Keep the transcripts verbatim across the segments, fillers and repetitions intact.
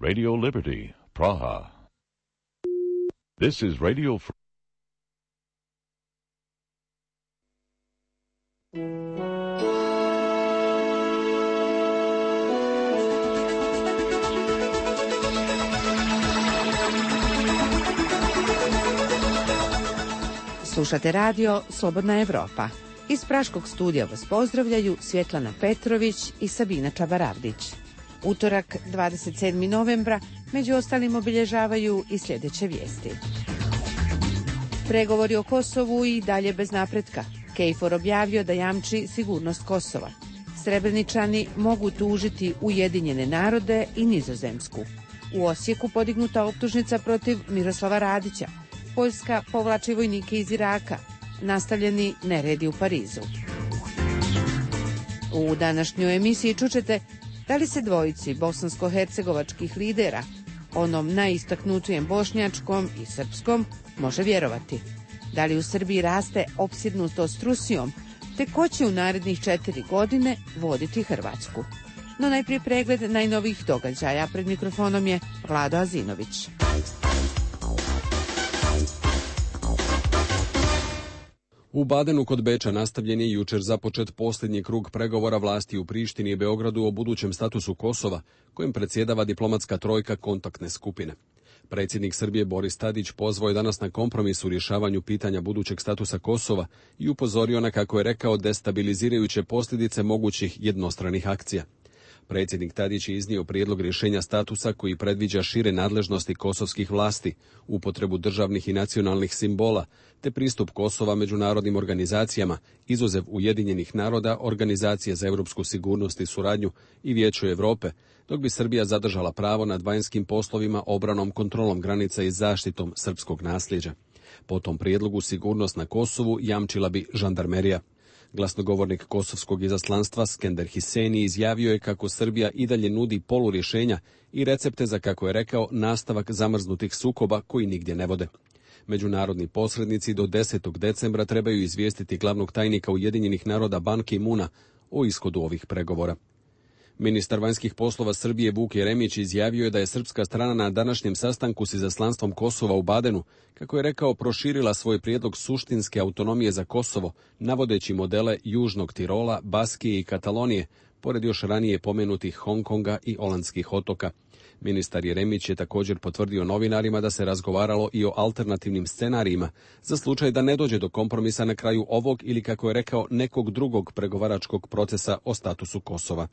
Radio Liberty, Praha. This is Radio Free. Slušate radio Slobodna Evropa. Iz Praškog studija vas pozdravljaju Svjetlana Petrović i Sabina Čabaravdić. Utorak, dvadeset sedmog novembra, među ostalim obilježavaju i sljedeće vijesti. Pregovori o Kosovu i dalje bez napretka. KFOR objavio da jamči sigurnost Kosova. Srebreničani mogu tužiti Ujedinjene narode i Nizozemsku. U Osijeku podignuta optužnica protiv Miroslava Radića. Poljska povlači vojnike iz Iraka. Nastavljeni neredi u Parizu. U današnjoj emisiji čućete da li se dvojici bosansko-hercegovačkih lidera, onom najistaknutijem bošnjačkom i srpskom, može vjerovati. Da li u Srbiji raste opsjednutost Rusijom, te ko će u narednih četiri godine voditi Hrvatsku. No najprije pregled najnovijih događaja. Pred mikrofonom je Vlado Azinović. U Badenu kod Beča nastavljen je jučer započet posljednji krug pregovora vlasti u Prištini i Beogradu o budućem statusu Kosova, kojim predsjedava diplomatska trojka kontaktne skupine. Predsjednik Srbije Boris Tadić pozvao je danas na kompromis u rješavanju pitanja budućeg statusa Kosova i upozorio na, kako je rekao, destabilizirajuće posljedice mogućih jednostranih akcija. Predsjednik Tadić je iznio prijedlog rješenja statusa koji predviđa šire nadležnosti kosovskih vlasti, upotrebu državnih i nacionalnih simbola, te pristup Kosova međunarodnim organizacijama, izuzev Ujedinjenih naroda, Organizacije za europsku sigurnost i suradnju i Vijeću Europe, dok bi Srbija zadržala pravo nad vanjskim poslovima, obranom, kontrolom granica i zaštitom srpskog nasljeđa. Po tom prijedlogu sigurnost na Kosovu jamčila bi žandarmerija. Glasnogovornik kosovskog izaslanstva Skender Hiseni izjavio je kako Srbija i dalje nudi polurješenja i recepte za, kako je rekao, nastavak zamrznutih sukoba koji nigdje ne vode. Međunarodni posrednici do desetog decembra trebaju izvijestiti glavnog tajnika Ujedinjenih naroda Ban Ki-muna o ishodu ovih pregovora. Ministar vanjskih poslova Srbije Vuk Jeremić izjavio je da je srpska strana na današnjem sastanku s izaslanstvom Kosova u Badenu, kako je rekao, proširila svoj prijedlog suštinske autonomije za Kosovo, navodeći modele Južnog Tirola, Baskije i Katalonije, pored još ranije pomenutih Hong Konga i Olandskih otoka. Ministar Jeremić je također potvrdio novinarima da se razgovaralo i o alternativnim scenarijima za slučaj da ne dođe do kompromisa na kraju ovog ili, kako je rekao, nekog drugog pregovaračkog procesa o statusu Kosova.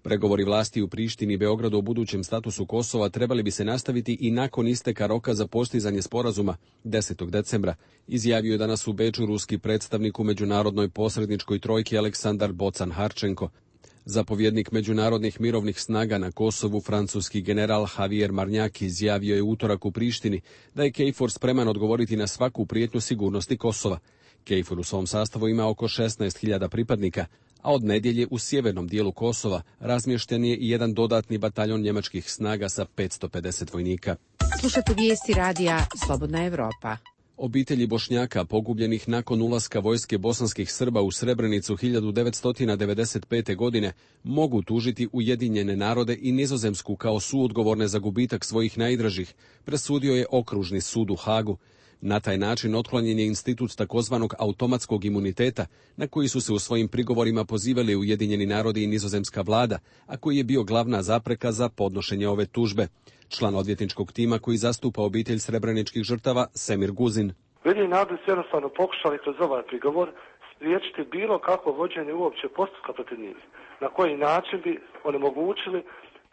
Pregovori vlasti u Prištini i Beogradu o budućem statusu Kosova trebali bi se nastaviti i nakon isteka roka za postizanje sporazuma desetog decembra, izjavio je danas u Beču ruski predstavnik u međunarodnoj posredničkoj trojki Aleksandar Bocan Harčenko. Zapovjednik međunarodnih mirovnih snaga na Kosovu, francuski general Javier Marnjak, izjavio je utorak u Prištini da je KFOR spreman odgovoriti na svaku prijetnju sigurnosti Kosova. KFOR u svom sastavu ima oko šesnaest hiljada pripadnika, a od nedjelje u sjevernom dijelu Kosova razmješten je i jedan dodatni bataljon njemačkih snaga sa petsto pedeset vojnika. Slušate vijesti radija Slobodna Evropa. Obitelji Bošnjaka pogubljenih nakon ulaska vojske bosanskih Srba u Srebrenicu hiljadu devetsto devedeset pete. godine mogu tužiti Ujedinjene narode i Nizozemsku kao suodgovorne za gubitak svojih najdražih, presudio je Okružni sud u Hagu. Na taj način otklonjen je institut takozvanog automatskog imuniteta, na koji su se u svojim prigovorima pozivali Ujedinjeni narodi i nizozemska vlada, a koji je bio glavna zapreka za podnošenje ove tužbe. Član odvjetničkog tima koji zastupa obitelj srebreničkih žrtava, Semir Guzin. Ujedinjeni narodi su jednostavno pokušali kroz ovaj prigovor spriječiti bilo kakvo vođenje uopće postupka protiv njih. Na koji način bi onemogućili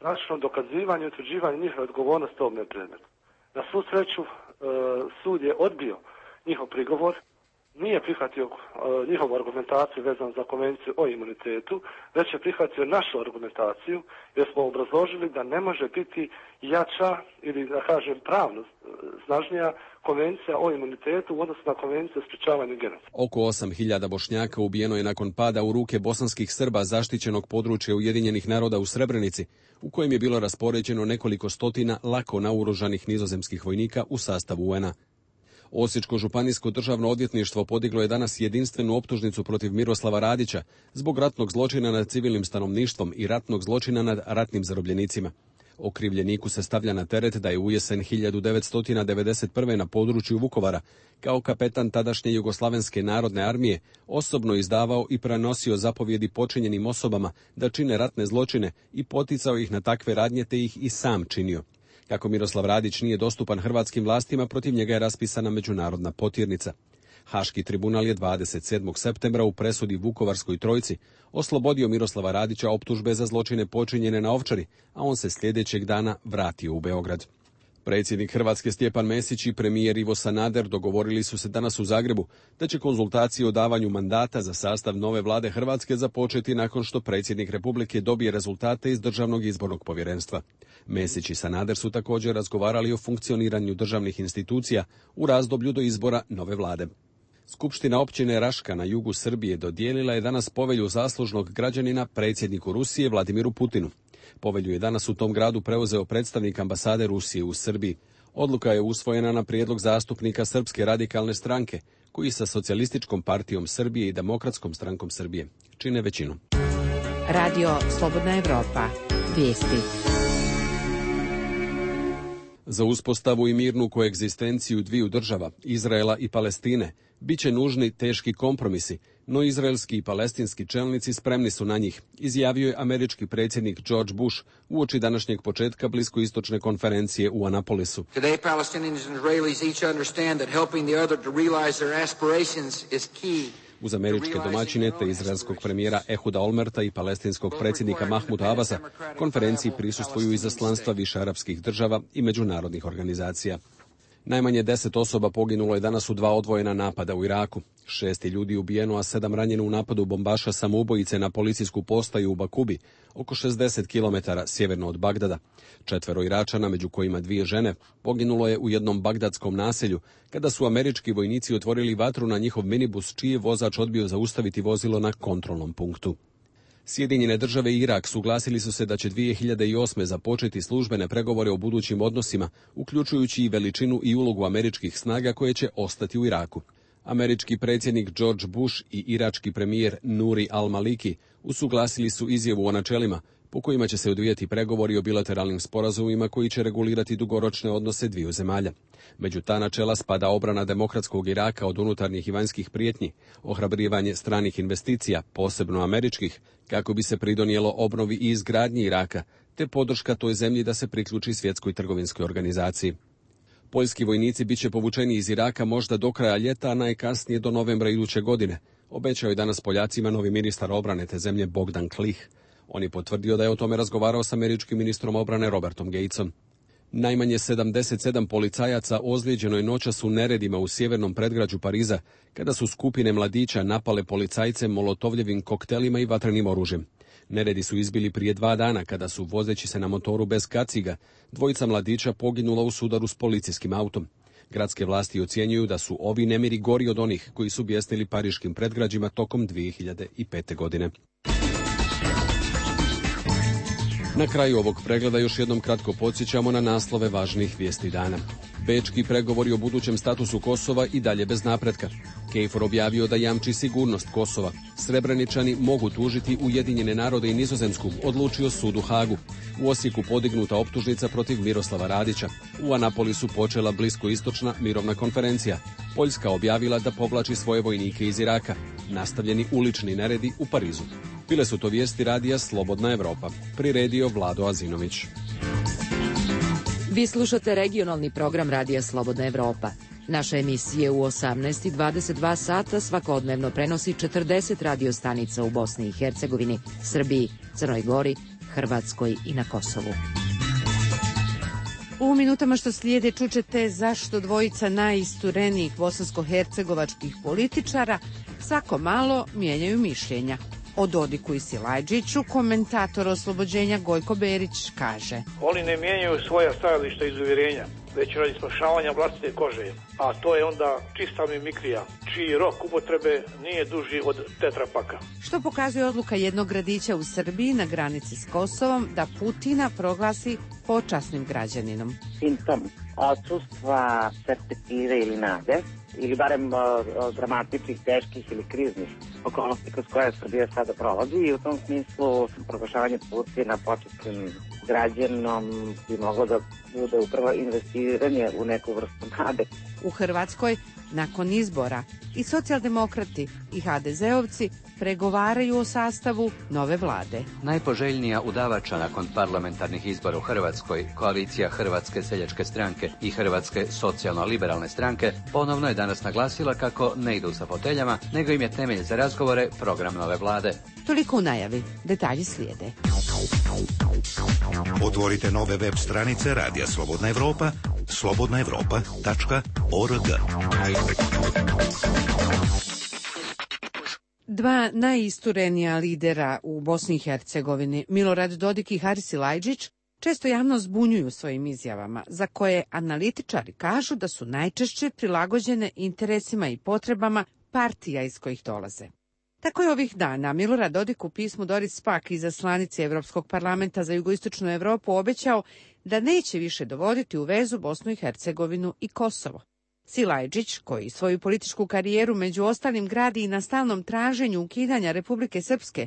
praktično dokazivanje i utvrđivanje njihove odgovornosti u ovome predmetu. Na svu sreću, sud je odbio njihov prigovor, nije prihvatio njihovu argumentaciju vezanu za konvenciju o imunitetu, već je prihvatio našu argumentaciju, jer smo obrazložili da ne može biti jača ili, da kažem, pravno snažnija konvencija o imunitetu u odnosu na konvenciju o sprječavanju genocida. Oko osam hiljada Bošnjaka ubijeno je nakon pada u ruke bosanskih Srba zaštićenog područja Ujedinjenih naroda u Srebrenici, u kojem je bilo raspoređeno nekoliko stotina lako naoružanih nizozemskih vojnika u sastavu U N A. Osječko županijsko državno odvjetništvo podiglo je danas jedinstvenu optužnicu protiv Miroslava Radića zbog ratnog zločina nad civilnim stanovništvom i ratnog zločina nad ratnim zarobljenicima. Okrivljeniku se stavlja na teret da je u jesen hiljadu devetsto devedeset prve. na području Vukovara kao kapetan tadašnje Jugoslavenske narodne armije osobno izdavao i prenosio zapovjedi počinjenim osobama da čine ratne zločine i poticao ih na takve radnje te ih i sam činio. Kako Miroslav Radić nije dostupan hrvatskim vlastima, protiv njega je raspisana međunarodna potirnica. Haški tribunal je dvadeset sedmog septembra u presudi Vukovarskoj trojci oslobodio Miroslava Radića optužbe za zločine počinjene na Ovčari, a on se sljedećeg dana vratio u Beograd. Predsjednik Hrvatske Stjepan Mesić i premijer Ivo Sanader dogovorili su se danas u Zagrebu da će konzultacije o davanju mandata za sastav nove vlade Hrvatske započeti nakon što predsjednik Republike dobije rezultate iz Državnog izbornog povjerenstva. Mesić i Sanader su također razgovarali o funkcioniranju državnih institucija u razdoblju do izbora nove vlade. Skupština općine Raška na jugu Srbije dodijelila je danas povelju zaslužnog građanina predsjedniku Rusije Vladimiru Putinu. Povelju je danas u tom gradu preuzeo predstavnik ambasade Rusije u Srbiji. Odluka je usvojena na prijedlog zastupnika Srpske radikalne stranke, koji sa Socijalističkom partijom Srbije i Demokratskom strankom Srbije čine većinu. Radio Slobodna Evropa. Vijesti. Za uspostavu i mirnu koegzistenciju dviju država, Izraela i Palestine, bit će nužni teški kompromisi, no izraelski i palestinski čelnici spremni su na njih, izjavio je američki predsjednik George Bush uoči današnjeg početka bliskoistočne konferencije u Anapolisu. Today, Palestinians and Israelis each understand that helping the other to realize their aspirations is key. Uz američke domaćine te izraelskog premijera Ehuda Olmerta i palestinskog predsjednika Mahmuda Abasa, konferenciji prisustvuju izaslanstva više arapskih država i međunarodnih organizacija. Najmanje deset osoba poginulo je danas u dva odvojena napada u Iraku. Šest je ljudi ubijeno, a sedam ranjeno u napadu bombaša samoubojice na policijsku postaju u Bakubi, oko šezdeset kilometara sjeverno od Bagdada. Četvero Iračana, među kojima dvije žene, poginulo je u jednom bagdadskom naselju, kada su američki vojnici otvorili vatru na njihov minibus, čiji je vozač odbio zaustaviti vozilo na kontrolnom punktu. Sjedinjene države i Irak suglasili su se da će dvije hiljade osme. započeti službene pregovore o budućim odnosima, uključujući i veličinu i ulogu američkih snaga koje će ostati u Iraku. Američki predsjednik George Bush i irački premijer Nuri al-Maliki usuglasili su izjavu o načelima po kojima će se odvijati pregovori o bilateralnim sporazumima koji će regulirati dugoročne odnose dviju zemalja. Među ta načela spada obrana demokratskog Iraka od unutarnjih i vanjskih prijetnji, ohrabrivanje stranih investicija, posebno američkih, kako bi se pridonijelo obnovi i izgradnji Iraka, te podrška toj zemlji da se priključi svjetskoj trgovinskoj organizaciji. Poljski vojnici bit će povučeni iz Iraka možda do kraja ljeta, a najkasnije do novembra iduće godine, obećao je danas Poljacima novi ministar obrane te zemlje Bogdan Klih. On je potvrdio da je o tome razgovarao s američkim ministrom obrane Robertom Gatesom. Najmanje sedamdeset sedam policajaca ozlijeđeno je noćas u neredima u sjevernom predgrađu Pariza, kada su skupine mladića napale policajce molotovljevim koktelima i vatrenim oružjem. Neredi su izbili prije dva dana, kada su, vozeći se na motoru bez kaciga, dvojica mladića poginula u sudaru s policijskim autom. Gradske vlasti ocjenjuju da su ovi nemiri gori od onih koji su bijesnili pariškim predgrađima tokom dvije hiljade pete. godine. Na kraju ovog pregleda još jednom kratko podsjećamo na naslove važnih vijesti dana. Bečki pregovori o budućem statusu Kosova i dalje bez napretka. Kejfor objavio da jamči sigurnost Kosova. Srebreničani mogu tužiti Ujedinjene narode i Nizozemsku, odlučio sud u Hagu. U Osijeku podignuta optužnica protiv Miroslava Radića. U Anapolisu počela bliskoistočna mirovna konferencija. Poljska objavila da povlači svoje vojnike iz Iraka. Nastavljeni ulični neredi u Parizu. Bile su to vijesti radija Slobodna Evropa. Priredio Vlado Azinović. Vi slušate regionalni program radija Slobodna Evropa. Naše emisije u osamnaest i dvadeset dva sata svakodnevno prenosi četrdeset radio stanica u Bosni i Hercegovini, Srbiji, Crnoj Gori, Hrvatskoj i na Kosovu. U minutama što slijede čućete zašto dvojica najisturenijih bosansko-hercegovačkih političara svako malo mijenjaju mišljenja. O Dodiku i Silajđiću komentator oslobođenja Gojko Berić kaže: Oni ne mijenjaju svoja stajališta iz uvjerenja, već radi spašavanja vlastite kože, a to je onda čista mimikrija, čiji rok upotrebe nije duži od tetrapaka. Što pokazuje odluka jednog gradića u Srbiji na granici s Kosovom da Putina proglasi počasnim građaninom. Simptom odsustva perspektive ili nade, ili barem o, dramatičnih, teških ili kriznih okolnosti kroz koje Srbija sada prolazi, i u tom smislu proglašavanje Putina počasnim građanom bi moglo da bude upravo investiranje u neku vrstu nade. U Hrvatskoj, nakon izbora, i socijaldemokrati i ha de zeovci pregovaraju o sastavu nove vlade. Najpoželjnija udavača nakon parlamentarnih izbora u Hrvatskoj, koalicija Hrvatske seljačke stranke i Hrvatske socijalno-liberalne stranke, ponovno je danas naglasila kako ne idu sa foteljama, nego im je temelj za razgovore program nove vlade. Toliko u najavi, detalji slijede. Otvorite nove web stranice Radija Slobodna Evropa, slobodna evropa tačka org. Dva najisturenija lidera u Bosni i Hercegovini, Milorad Dodik i Haris Silajdžić, često javno zbunjuju svojim izjavama, za koje analitičari kažu da su najčešće prilagođene interesima i potrebama partija iz kojih dolaze. Tako je ovih dana Milorad Dodik u pismu Doris Pack, izaslanici Evropskog parlamenta za jugoistočnu Evropu, obećao da neće više dovoditi u vezu Bosnu i Hercegovinu i Kosovo. Silajdžić, koji svoju političku karijeru među ostalim gradi i na stalnom traženju ukidanja Republike Srpske,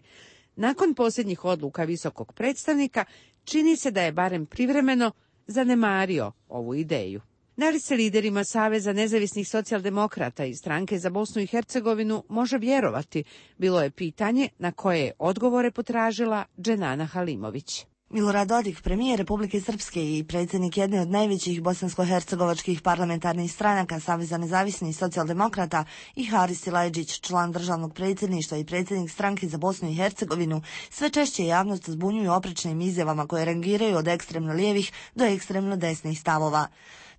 nakon posljednjih odluka visokog predstavnika, čini se da je barem privremeno zanemario ovu ideju. Da li se liderima Saveza nezavisnih socijaldemokrata i Stranke za Bosnu i Hercegovinu može vjerovati, bilo je pitanje na koje je odgovore potražila Dženana Halimović. Milorad Dodik, premijer Republike Srpske i predsjednik jedne od najvećih bosansko-hercegovačkih parlamentarnih stranaka Saveza nezavisnih socijaldemokrata, i Haris Silajdžić, član državnog predsjedništva i predsjednik Stranke za Bosnu i Hercegovinu, sve češće javnost zbunjuju oprečnim izjavama koje rangiraju od ekstremno lijevih do ekstremno desnih stavova.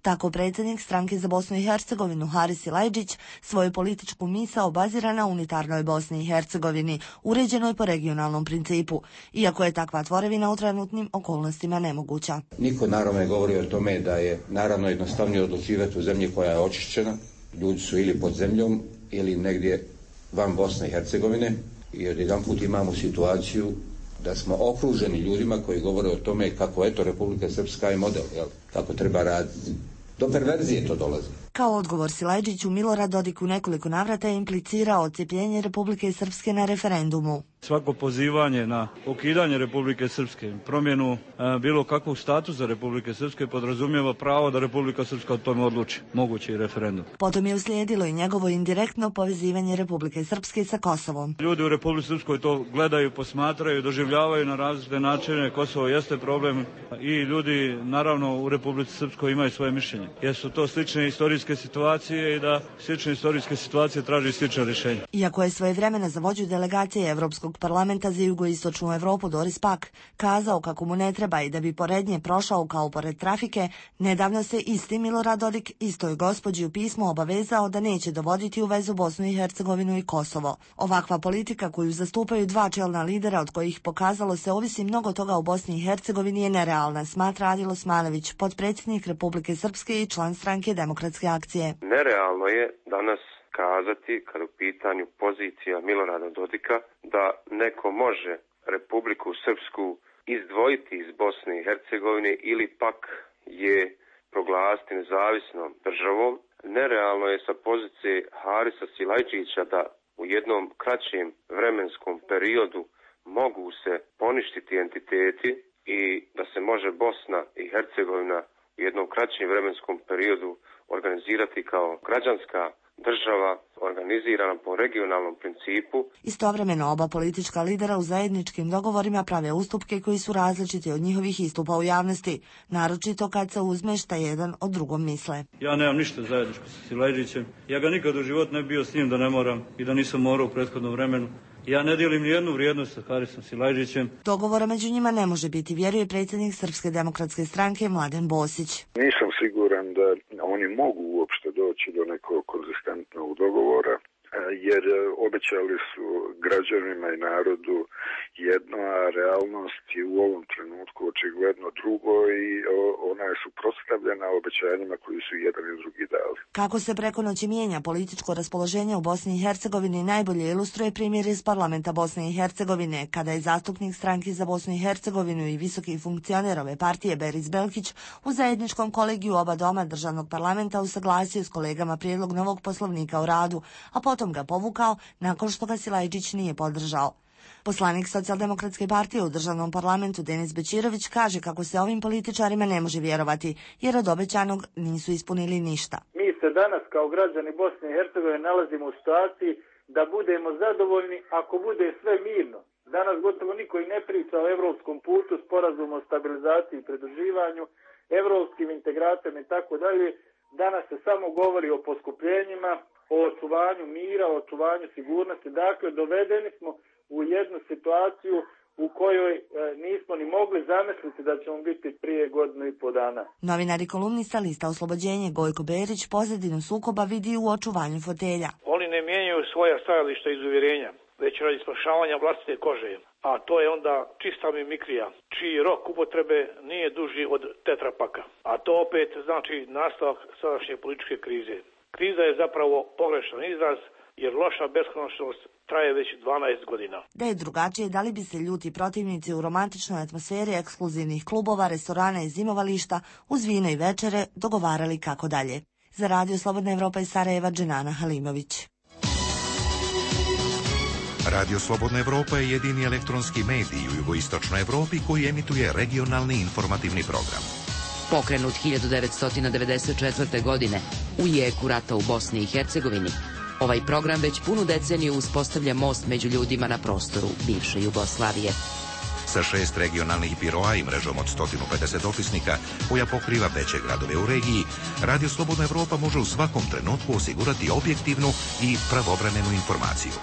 Tako predsjednik Stranke za Bosnu i Hercegovinu Haris Silajdžić svoju političku misao bazira na unitarnoj Bosni i Hercegovini, uređenoj po regionalnom principu, iako je takva tvorevina u trenutnim okolnostima nemoguća. Niko naravno ne govori o tome da je naravno jednostavnije odlučivati u zemlji koja je očišćena, ljudi su ili pod zemljom ili negdje van Bosne i Hercegovine, i odjedanput imamo situaciju da smo okruženi ljudima koji govore o tome kako eto Republika Srpska je model, jel? Kako treba raditi. Do perverzije to dolazi. Kao odgovor Silajdžiću, Milorad Dodik u nekoliko navrata je implicirao odcjepljenje Republike Srpske na referendumu. Svako pozivanje na ukidanje Republike Srpske, promjenu e, bilo kakvog statusa Republike Srpske podrazumijeva pravo da Republika Srpska o tome odluči, mogući i referendum. Potom je uslijedilo i njegovo indirektno povezivanje Republike Srpske sa Kosovom. Ljudi u Republici Srpskoj to gledaju, posmatraju, doživljavaju na različite načine. Kosovo jeste problem i ljudi naravno u Republici Srpskoj imaju svoje mišljenje. Jesu to slične istorijske situacije i da slične istorijske situacije traži slične rješenje. Iako je svojevremeno za vođu delegacije Evropskog parlamenta za jugoistočnu Evropu Doris Pack kazao kako mu ne treba i da bi pored nje prošao kao pored trafike, nedavno se isti Milorad Dodik istoj gospođi u pismu obavezao da neće dovoditi u vezu Bosnu i Hercegovinu i Kosovo. Ovakva politika koju zastupaju dva čelna lidera od kojih pokazalo se ovisi mnogo toga u Bosni i Hercegovini je nerealna, smatra Adil Osmanović, potpredsjednik Republike Srpske i član Stranke demokratske akcije. Nerealno je danas kazati, kada u pitanju pozicija Milorada Dodika, da neko može Republiku Srpsku izdvojiti iz Bosne i Hercegovine ili pak je proglasiti nezavisnom državom. Nerealno je sa pozicije Harisa Silajdžića da u jednom kraćem vremenskom periodu mogu se poništiti entiteti i da se može Bosna i Hercegovina u jednom kraćem vremenskom periodu organizirati kao građanska država organizirana po regionalnom principu. Istovremeno oba politička lidera u zajedničkim dogovorima prave ustupke koji su različiti od njihovih istupa u javnosti, naročito kad se uzme šta jedan od drugom misle. Ja nemam ništa zajedničko sa Silajdžićem. Ja ga nikad u životu ne bio s njim da ne moram i da nisam morao u prethodnom vremenu. Ja ne dijelim ni jednu vrijednost sa Harisom Silajdžićem. Dogovora među njima ne može biti, vjeruje predsjednik Srpske demokratske stranke Mladen Bosić. Nisam siguran da oni mogu uopšte doći do nekog konzistentnog dogovora, jer obećali su građanima i narodu jedno, a realnost je u ovom trenutku očigledno drugo i ona je suprotstavljena obećanjima koji su jedan i drugi dali. Kako se preko noći mijenja političko raspoloženje u Bosni i Hercegovini najbolje ilustruje primjer iz parlamenta Bosne i Hercegovine, kada je zastupnik Stranke za Bosnu i Hercegovinu i visoki funkcioner ove partije Beris Belkić u zajedničkom kolegiju oba doma državnog parlamenta usaglasio s kolegama prijedlog novog poslovnika o radu, a potom ga povukao nakon što ga Silajdžić nije podržao. Poslanik Socijaldemokratske partije u državnom parlamentu Denis Bećirović kaže kako se ovim političarima ne može vjerovati, jer od obećanog nisu ispunili ništa. Mi se danas kao građani Bosne i Hercegovine nalazimo u situaciji da budemo zadovoljni ako bude sve mirno. Danas gotovo niko i ne priča o evropskom putu, sporazumu o stabilizaciji i pridruživanju, evropskim integracijama i tako dalje. Danas se samo govori o poskupljenjima, o očuvanju mira, o očuvanju sigurnosti. Dakle, dovedeni smo u jednu situaciju u kojoj e, nismo ni mogli zamisliti da ćemo biti prije godinu i po dana. Novinar i kolumnista lista Oslobođenje Gojko Berić pozadinu sukoba vidi u očuvanju fotelja. Oni ne mijenjaju svoja stajališta iz uvjerenja, već radi spašavanja vlastite kože. A to je onda čista mimikrija, čiji rok upotrebe nije duži od tetrapaka. A to opet znači nastavak sadašnje političke krize. Kriza je zapravo pogrešan izraz, jer loša beskonačnost traje već dvanaest godina. Da je drugačije, da li bi se ljuti protivnici u romantičnoj atmosferi ekskluzivnih klubova, restorana i zimovališta uz vino i večere dogovarali kako dalje. Za Radio Slobodna Evropa iz Sarajeva, Dženana Halimović. Radio Slobodna Evropa je jedini elektronski medij u jugoistočnoj Evropi koji emituje regionalni informativni program. Pokrenut hiljadu devetsto devedeset četvrte. godine u jeku rata u Bosni i Hercegovini, ovaj program već punu deceniju uspostavlja most među ljudima na prostoru bivše Jugoslavije. Sa šest regionalnih biroa i mrežom od sto pedeset opisnika koja pokriva veće gradove u regiji, Radio Slobodna Evropa može u svakom trenutku osigurati objektivnu i pravovremenu informaciju.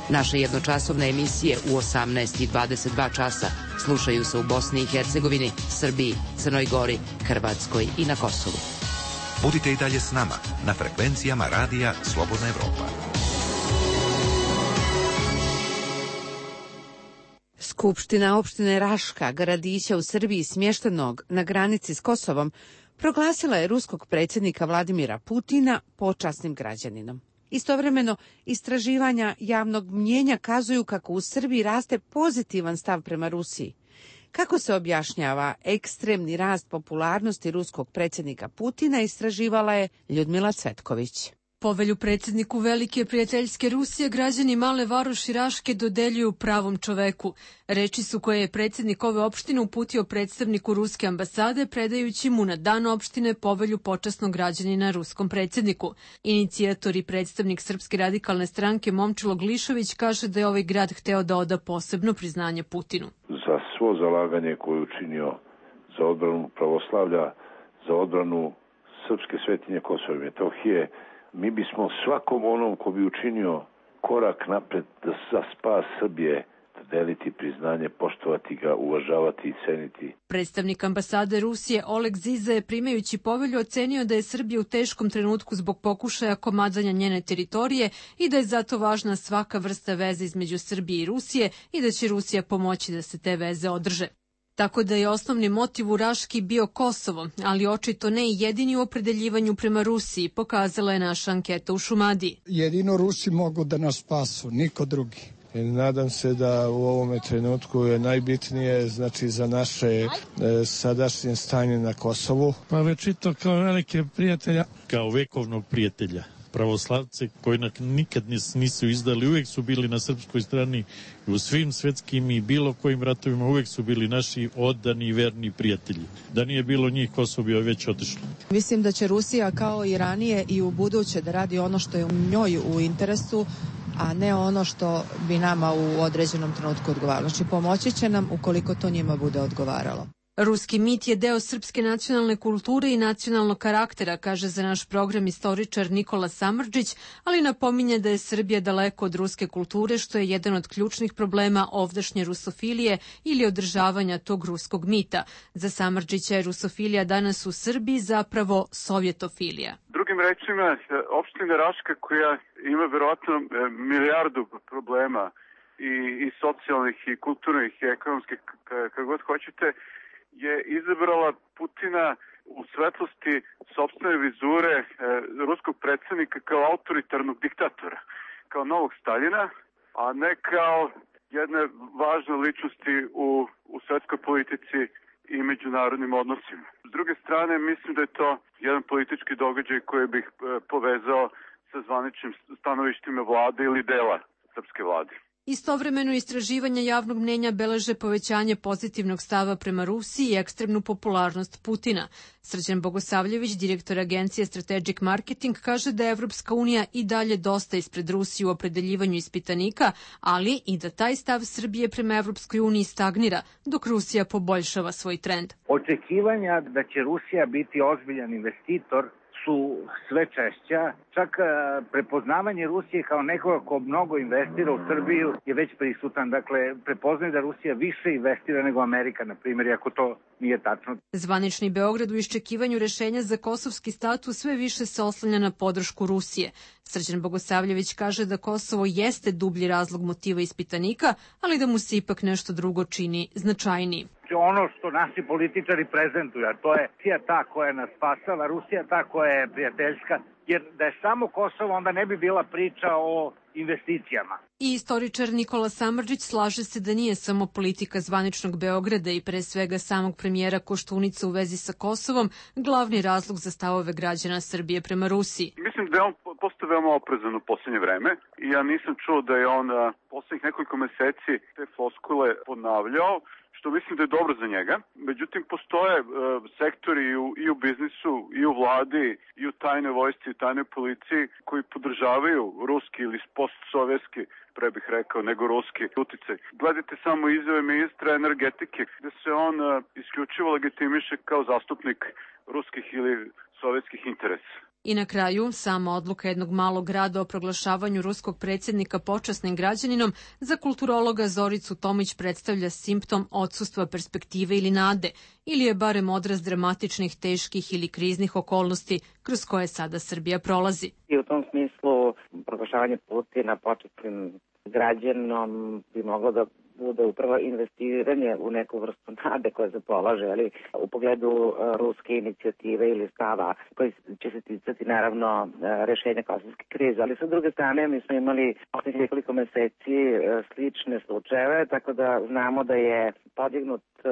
Naše jednočasovne emisije u osamnaest i dvadeset dva časa slušaju se u Bosni i Hercegovini, Srbiji, Crnoj Gori, Hrvatskoj i na Kosovu. Budite i dalje s nama na frekvencijama Radija Slobodna Evropa. Skupština opštine Raška, gradića u Srbiji smještenog na granici s Kosovom, proglasila je ruskog predsjednika Vladimira Putina počasnim građaninom. Istovremeno, istraživanja javnog mnjenja kazuju kako u Srbiji raste pozitivan stav prema Rusiji. Kako se objašnjava ekstremni rast popularnosti ruskog predsjednika Putina, istraživala je Ljudmila Cvetković. Povelju predsjedniku Velike prijateljske Rusije građani Male Varoši Raške dodeljuju pravom čoveku. Reči su koje je predsjednik ove opštine uputio predstavniku ruske ambasade, predajući mu na dan opštine povelju počasnog građanina ruskom predsjedniku. Inicijator i predstavnik Srpske radikalne stranke Momčilo Glišović kaže da je ovaj grad hteo da oda posebno priznanje Putinu. Za svo zalaganje koje je učinio za odbranu pravoslavlja, za odbranu srpske svetinje Kosova i Metohije, mi bismo svakom onom ko bi učinio korak napred za spas Srbije deliti priznanje, poštovati ga, uvažavati i ceniti. Predstavnik ambasade Rusije Oleg Ziza je primajući povelju ocenio da je Srbija u teškom trenutku zbog pokušaja komadanja njene teritorije i da je zato važna svaka vrsta veze između Srbije i Rusije i da će Rusija pomoći da se te veze održe. Tako da je osnovni motiv u Raški bio Kosovo, ali očito ne i jedini u opredeljivanju prema Rusiji, pokazala je naša anketa u Šumadiji. Jedino Rusi mogu da nas spasu, niko drugi. Nadam se da u ovome trenutku je najbitnije, znači, za naše e, sadašnje stanje na Kosovu. Pa već i to kao velike prijatelja, kao vekovnog prijatelja. Pravoslavce koji nikad nisu izdali, uvijek su bili na srpskoj strani u svim svetskim i bilo kojim ratovima, uvijek su bili naši odani i verni prijatelji. Da nije bilo njih, Kosovo bi već otišlo. Mislim da će Rusija kao i ranije i u buduće da radi ono što je u njoj u interesu, a ne ono što bi nama u određenom trenutku odgovaralo. Znači pomoći će nam ukoliko to njima bude odgovaralo. Ruski mit je deo srpske nacionalne kulture i nacionalnog karaktera, kaže za naš program istoričar Nikola Samardžić, ali napominje da je Srbija daleko od ruske kulture, što je jedan od ključnih problema ovdašnje rusofilije ili održavanja tog ruskog mita. Za Samardžića je rusofilija danas u Srbiji zapravo sovjetofilija. Drugim rečima, opština Raška koja ima verovatno milijardu problema i, i socijalnih i kulturnih i ekonomskih, kako god hoćete, je izabrala Putina u svetlosti sopstvene vizure e, ruskog predsjednika kao autoritarnog diktatora, kao novog Staljina, a ne kao jedne važne ličnosti u, u svetskoj politici i međunarodnim odnosima. S druge strane, mislim da je to jedan politički događaj koji bih e, povezao sa zvaničnim stanovištima vlade ili dela srpske vlade. Istovremeno istraživanja javnog mnjenja beleže povećanje pozitivnog stava prema Rusiji i ekstremnu popularnost Putina. Srđan Bogosavljević, direktor agencije Strategic Marketing, kaže da je Evropska unija i dalje dosta ispred Rusije u opredeljivanju ispitanika, ali i da taj stav Srbije prema Evropskoj uniji stagnira, dok Rusija poboljšava svoj trend. Očekivanja da će Rusija biti ozbiljan investitor su sve češća. Čak prepoznavanje Rusije kao nekoga ko mnogo investira u Srbiju je već prisutan. Dakle, prepoznaje da Rusija više investira nego Amerika, na primjer, iako to nije tačno. Zvanični Beograd u iščekivanju rešenja za kosovski status sve više se oslanja na podršku Rusije. Srđan Bogosavljević kaže da Kosovo jeste dublji razlog motiva ispitanika, ali da mu se ipak nešto drugo čini značajniji. Ono što naši političari prezentuju, a to je Rusija ta koja nas spasava, Rusija ta koja je prijateljska, jer da je samo Kosovo, onda ne bi bila priča o investicijama. I istoričar Nikola Samardžić slaže se da nije samo politika zvaničnog Beograda i pre svega samog premijera Koštunice u vezi sa Kosovom glavni razlog za stavove građana Srbije prema Rusiji. Mislim da je on postao veoma oprezan u posljednje vreme i ja nisam čuo da je on poslednjih nekoliko meseci te floskule ponavljao, što mislim da je dobro za njega. Međutim, postoje e, sektori i u, i u biznisu, i u vladi, i u tajnoj vojsci, i tajnoj policiji koji podržavaju ruski ili postsovjetski, pre bih rekao, nego ruski uticaj. Gledajte samo izjave ministra energetike, gde se on e, isključivo legitimiše kao zastupnik ruskih ili sovjetskih interesa. I na kraju, sama odluka jednog malog grada o proglašavanju ruskog predsjednika počasnim građaninom za kulturologa Zoricu Tomić predstavlja simptom odsustva perspektive ili nade, ili je barem odraz dramatičnih, teških ili kriznih okolnosti kroz koje sada Srbija prolazi. I u tom smislu proglašavanje Putina počasnim građaninom bi moglo da bude upravo investiranje u neku vrstu nade koja se polaže, ali u pogledu uh, ruske inicijative ili stava koji će se ticati naravno uh, rešenja kosovske krize. Ali sa druge strane mi smo imali poslednjih nekoliko meseci uh, slične slučajeve, tako da znamo da je podignut uh,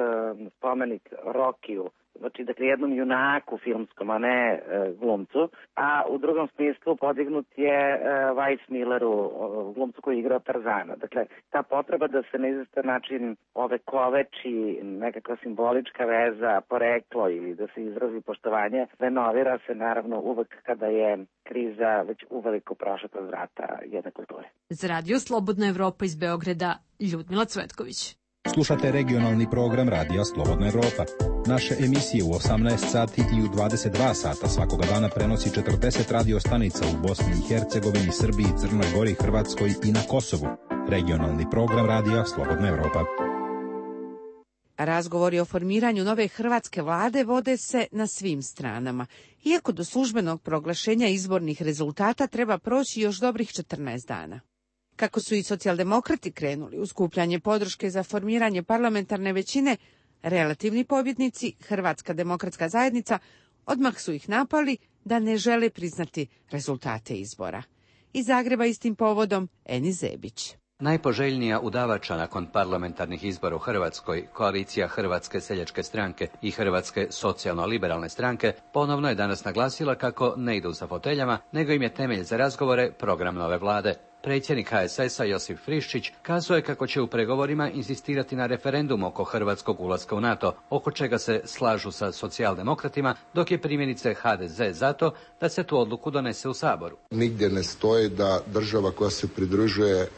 spomenik Rokiju, znači dakle jednom junaku filmskom, a ne e, glumcu, a u drugom smislu podignut je e, Weiss Milleru, o, glumcu koji je igrao Tarzana. Dakle, ta potreba da se na izvestan način ove koveči, nekakva simbolička veza, poreklo ili da se izrazi poštovanje, renovira se naravno uvek kada je kriza već uveliko prošla kroz vrata jedne kulture. Za Radio Slobodna Evropa iz Beograda, Ljudmila Cvetković. Slušate regionalni program Radija Slobodna Evropa. Naše emisije u osamnaest sati i u dvadeset dva sata svakoga dana prenosi četrdeset radio stanica u Bosni i Hercegovini, Srbiji, Crnoj Gori, Hrvatskoj i na Kosovu. Regionalni program Radija Slobodna Evropa. Razgovori o formiranju nove hrvatske vlade vode se na svim stranama. Iako do službenog proglašenja izbornih rezultata treba proći još dobrih četrnaest dana. Kako su i socijaldemokrati krenuli u skupljanje podrške za formiranje parlamentarne većine, relativni pobjednici, Hrvatska demokratska zajednica, odmah su ih napali da ne žele priznati rezultate izbora. Iz Zagreba istim povodom Eni Zebić. Najpoželjnija udavača nakon parlamentarnih izbora u Hrvatskoj, koalicija Hrvatske seljačke stranke i Hrvatske socijalno-liberalne stranke, ponovno je danas naglasila kako ne idu sa foteljama, nego im je temelj za razgovore program nove vlade. Predsjednik ha es es a Josip Friščić kazao je kako će u pregovorima insistirati na referendum oko hrvatskog ulaska u NATO, oko čega se slažu sa socijaldemokratima, dok je primjerice ha de ze zato da se tu odluku donese u Saboru. Nigdje ne stoji da država koja se pridružuje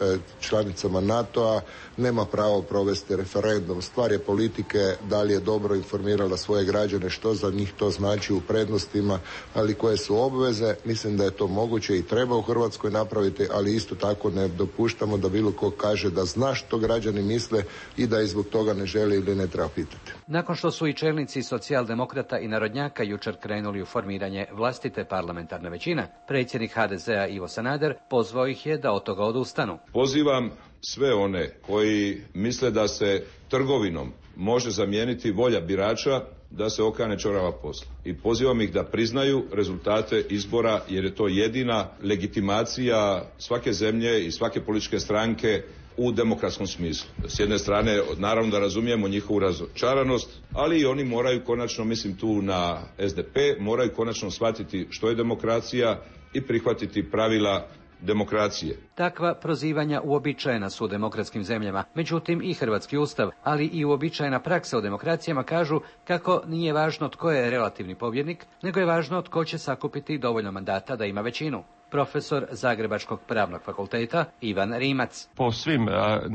članicama NATO-a nema pravo provesti referendum. Stvar je politike da li je dobro informirala svoje građane što za njih to znači u prednostima, ali koje su obveze. Mislim da je to moguće i treba u Hrvatskoj napraviti, ali isto tako ne dopuštamo da bilo ko kaže da zna što građani misle i da i zbog toga ne želi ili ne treba pitati. Nakon što su i čelnici socijaldemokrata i narodnjaka jučer krenuli u formiranje vlastite parlamentarne većine, predsjednik ha de ze a Ivo Sanader pozvao ih je da od toga odustanu. Pozivam sve one koji misle da se trgovinom može zamijeniti volja birača da se okane čorava posla. I pozivam ih da priznaju rezultate izbora jer je to jedina legitimacija svake zemlje i svake političke stranke u demokratskom smislu. S jedne strane, naravno da razumijemo njihovu razočaranost, ali i oni moraju konačno, mislim tu na es de pe, moraju konačno shvatiti što je demokracija i prihvatiti pravila demokracije. Takva prozivanja uobičajena su u demokratskim zemljama, međutim i hrvatski ustav, ali i uobičajena praksa u demokracijama kažu kako nije važno tko je relativni pobjednik, nego je važno tko će sakupiti dovoljno mandata da ima većinu. Profesor Zagrebačkog pravnog fakulteta Ivan Rimac. Po svim,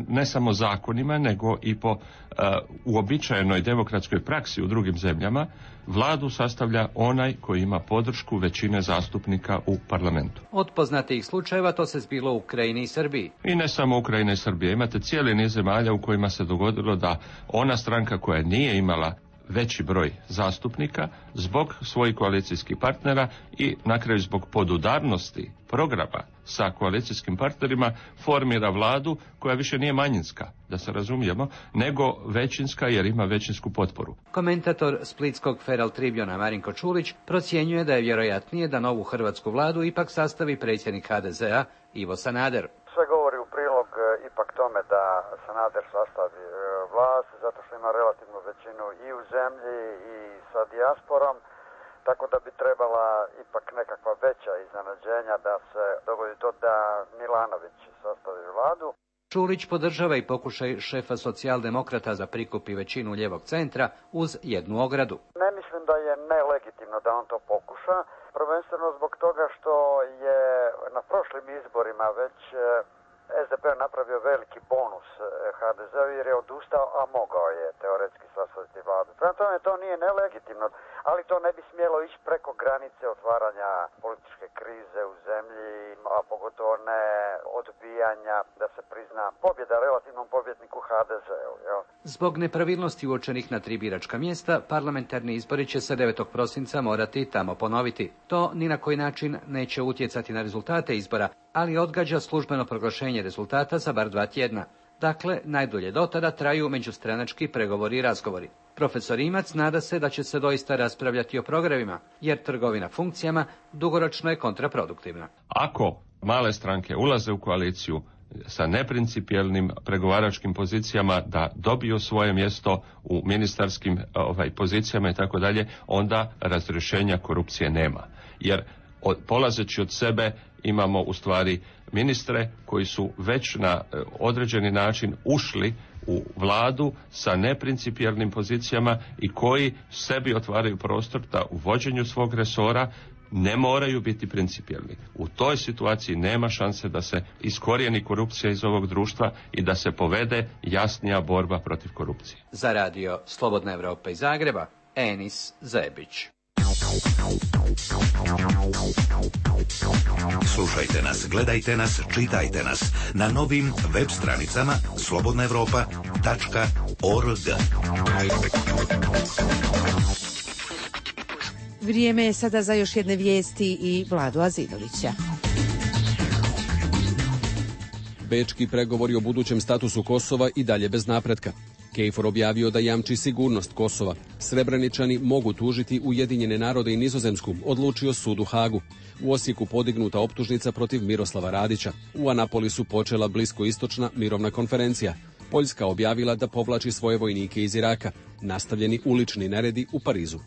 ne samo zakonima, nego i po uobičajenoj demokratskoj praksi u drugim zemljama, vladu sastavlja onaj koji ima podršku većine zastupnika u parlamentu. Od poznatijih slučajeva to se zbilo u Ukrajini i Srbiji. I ne samo Ukrajina i Srbija. Imate cijeli niz zemalja u kojima se dogodilo da ona stranka koja nije imala veći broj zastupnika zbog svojih koalicijskih partnera i na kraju zbog podudarnosti programa sa koalicijskim partnerima formira vladu koja više nije manjinska, da se razumijemo, nego većinska jer ima većinsku potporu. Komentator splitskog Feral Tribuna Marinko Čulić procjenjuje da je vjerojatnije da novu hrvatsku vladu ipak sastavi predsjednik ha de zea Ivo Sanader. Sve govori u prilog ipak tome da Sanader sastavi vlast, zato što ima relativnu većinu i u zemlji i sa dijasporom, tako da bi trebala ipak nekakva veća iznenađenja da se dogodi to da Milanović sastavi vladu. Čulić podržava i pokušaj šefa socijaldemokrata za prikupi većinu lijevog centra uz jednu ogradu. Ne mislim da je nelegitimno da on to pokuša, prvenstveno zbog toga što je na prošlim izborima već es de pe napravio veliki bonus ha de zeu jer je odustao, a mogao je teoretski sastaviti vladu. Prema tome to nije nelegitimno, ali to ne bi smjelo ići preko granice otvaranja političke krize u zemlji, a pogotovo ne odbijanja da se prizna pobjeda relativnom pobjedniku ha de zeu. Jel? Zbog nepravilnosti uočenih na tri biračka mjesta, parlamentarni izbori će se devetog prosinca morati tamo ponoviti. To ni na koji način neće utjecati na rezultate izbora, ali odgađa službeno proglašenje rezultata za bar dva tjedna. Dakle, najdulje do tada traju međustranački pregovori i razgovori. Profesor Imac nada se da će se doista raspravljati o programima, jer trgovina funkcijama dugoročno je kontraproduktivna. Ako male stranke ulaze u koaliciju sa neprincipijelnim pregovaračkim pozicijama da dobiju svoje mjesto u ministarskim ovaj, pozicijama i tako dalje, onda razrješenja korupcije nema. Jer od, polazeći od sebe imamo u stvari ministre koji su već na određeni način ušli u vladu sa neprincipijelnim pozicijama i koji sebi otvaraju prostor da u vođenju svog resora ne moraju biti principijelni. U toj situaciji nema šanse da se iskorijeni korupcija iz ovog društva i da se povede jasnija borba protiv korupcije. Za radio Slobodna Evropa iz Zagreba, Enis Zebić. Slušajte nas, gledajte nas, čitajte nas na novim web stranicama slobodna evropa tačka org. Vrijeme je sada za još jedne vijesti i Vladu Azidovića. Bečki pregovori o budućem statusu Kosova i dalje bez napretka. Kejfor objavio da jamči sigurnost Kosova. Srebreničani mogu tužiti Ujedinjene narode i Nizozemsku, odlučio sud u Hagu. U Osijeku podignuta optužnica protiv Miroslava Radića. U Anapolisu počela bliskoistočna mirovna konferencija. Poljska objavila da povlači svoje vojnike iz Iraka. Nastavljeni ulični neredi u Parizu.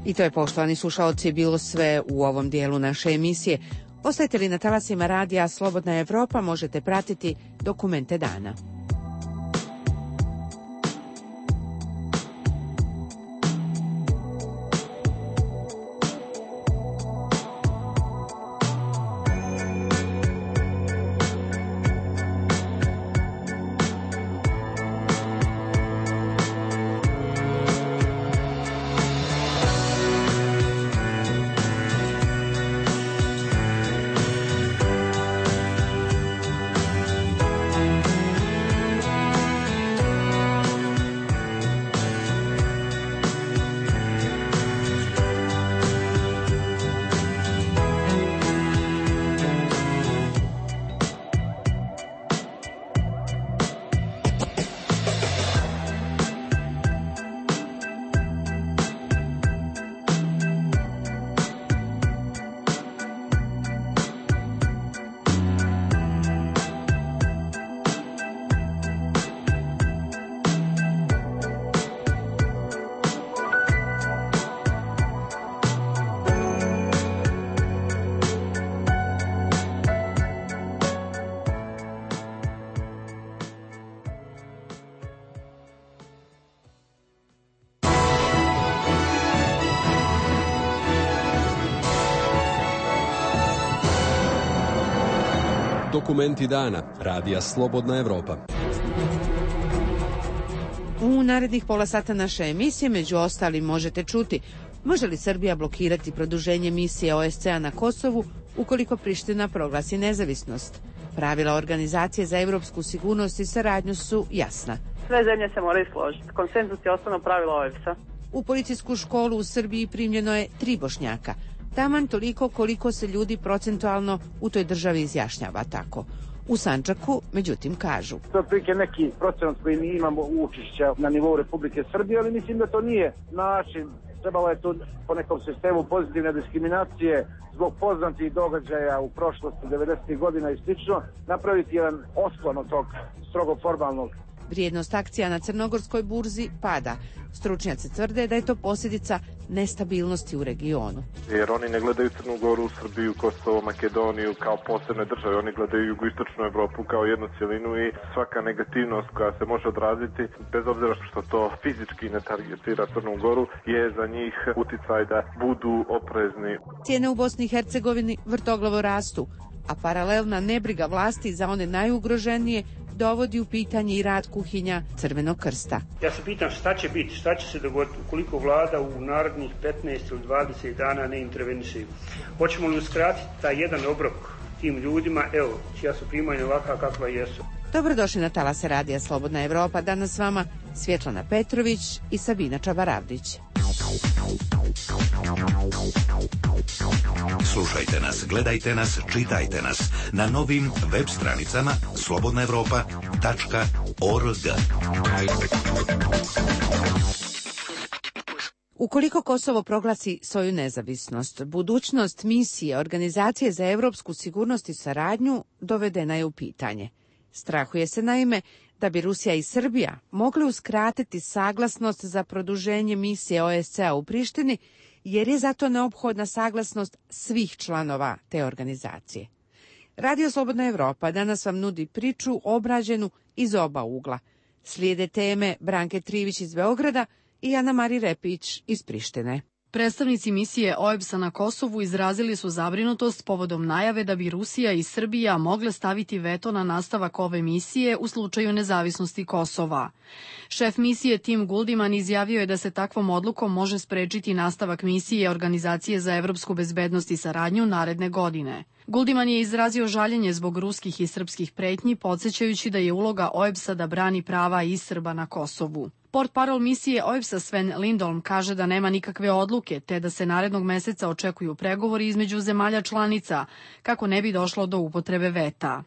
I to je, poštovani slušaoci, bilo sve u ovom dijelu naše emisije. Ostajte li na talasima radija Slobodna Evropa, možete pratiti Dokumente dana. Dokumenti dana. Radija Slobodna Evropa. U narednih pola sata naše emisije među ostalim možete čuti: može li Srbija blokirati produženje misije O S C A na Kosovu ukoliko Priština proglasi nezavisnost? Pravila Organizacije za evropsku sigurnost i saradnju su jasna. Sve zemlje se moraju složiti. Konsenzus je osnovno pravilo O E B S-a. U policijsku školu u Srbiji primljeno je tri Bošnjaka. Taman toliko koliko se ljudi procentualno u toj državi izjašnjava tako. U Sandžaku, međutim, kažu. To je otprilike neki procenat koji mi imamo učešća na nivou Republike Srbije, ali mislim da to nije način. Trebalo je to po nekom sistemu pozitivne diskriminacije zbog poznatih događaja u prošlosti devedesetih godina i slično, napraviti jedan osklon od tog strogo formalnog. Vrijednost akcija na crnogorskoj burzi pada. Stručnjaci tvrde da je to posljedica nestabilnosti u regionu. Jer oni ne gledaju Crnu Goru, Srbiju, Kosovo, Makedoniju kao posebne države. Oni gledaju jugoistočnu Evropu kao jednu cjelinu i svaka negativnost koja se može odraziti, bez obzira što to fizički ne targetira Crnu Goru, je za njih uticaj da budu oprezni. Cijene u Bosni i Hercegovini vrtoglavo rastu, a paralelna nebriga vlasti za one najugroženije dovodi u pitanje i rad kuhinja Crvenog krsta. Ja se pitam šta će biti, šta će se dogoditi ukoliko vlada u narednih petnaest ili dvadeset dana ne interveniše. Hoćemo li uskratiti taj jedan obrok tim ljudima, evo, čija su primanja ovakva kakva jesu. Dobrodošli na talase Radija Slobodna Evropa. Danas s vama Svjetlana Petrović i Sabina Čabaravdić. Slušajte nas, gledajte nas, čitajte nas na novim web stranicama slobodna evropa tačka org. Ukoliko Kosovo proglasi svoju nezavisnost, budućnost misije Organizacije za evropsku sigurnost i saradnju dovedena je u pitanje. Strahuje se naime da bi Rusija i Srbija mogli uskratiti saglasnost za produženje misije O S C A u Prištini, jer je zato neophodna saglasnost svih članova te organizacije. Radio Slobodna Evropa danas vam nudi priču obrađenu iz oba ugla. Slijede teme Branke Trivić iz Beograda i Ana Mari Repić iz Prištine. Predstavnici misije O E B S-a na Kosovu izrazili su zabrinutost povodom najave da bi Rusija i Srbija mogle staviti veto na nastavak ove misije u slučaju nezavisnosti Kosova. Šef misije Tim Guldiman izjavio je da se takvom odlukom može sprečiti nastavak misije Organizacije za evropsku bezbednost i saradnju naredne godine. Guldiman je izrazio žaljenje zbog ruskih i srpskih pretnji, podsjećajući da je uloga O E B S-a da brani prava i Srba na Kosovu. Portparol misije O E B S-a Sven Lindholm kaže da nema nikakve odluke, te da se narednog meseca očekuju pregovori između zemalja članica, kako ne bi došlo do upotrebe veta.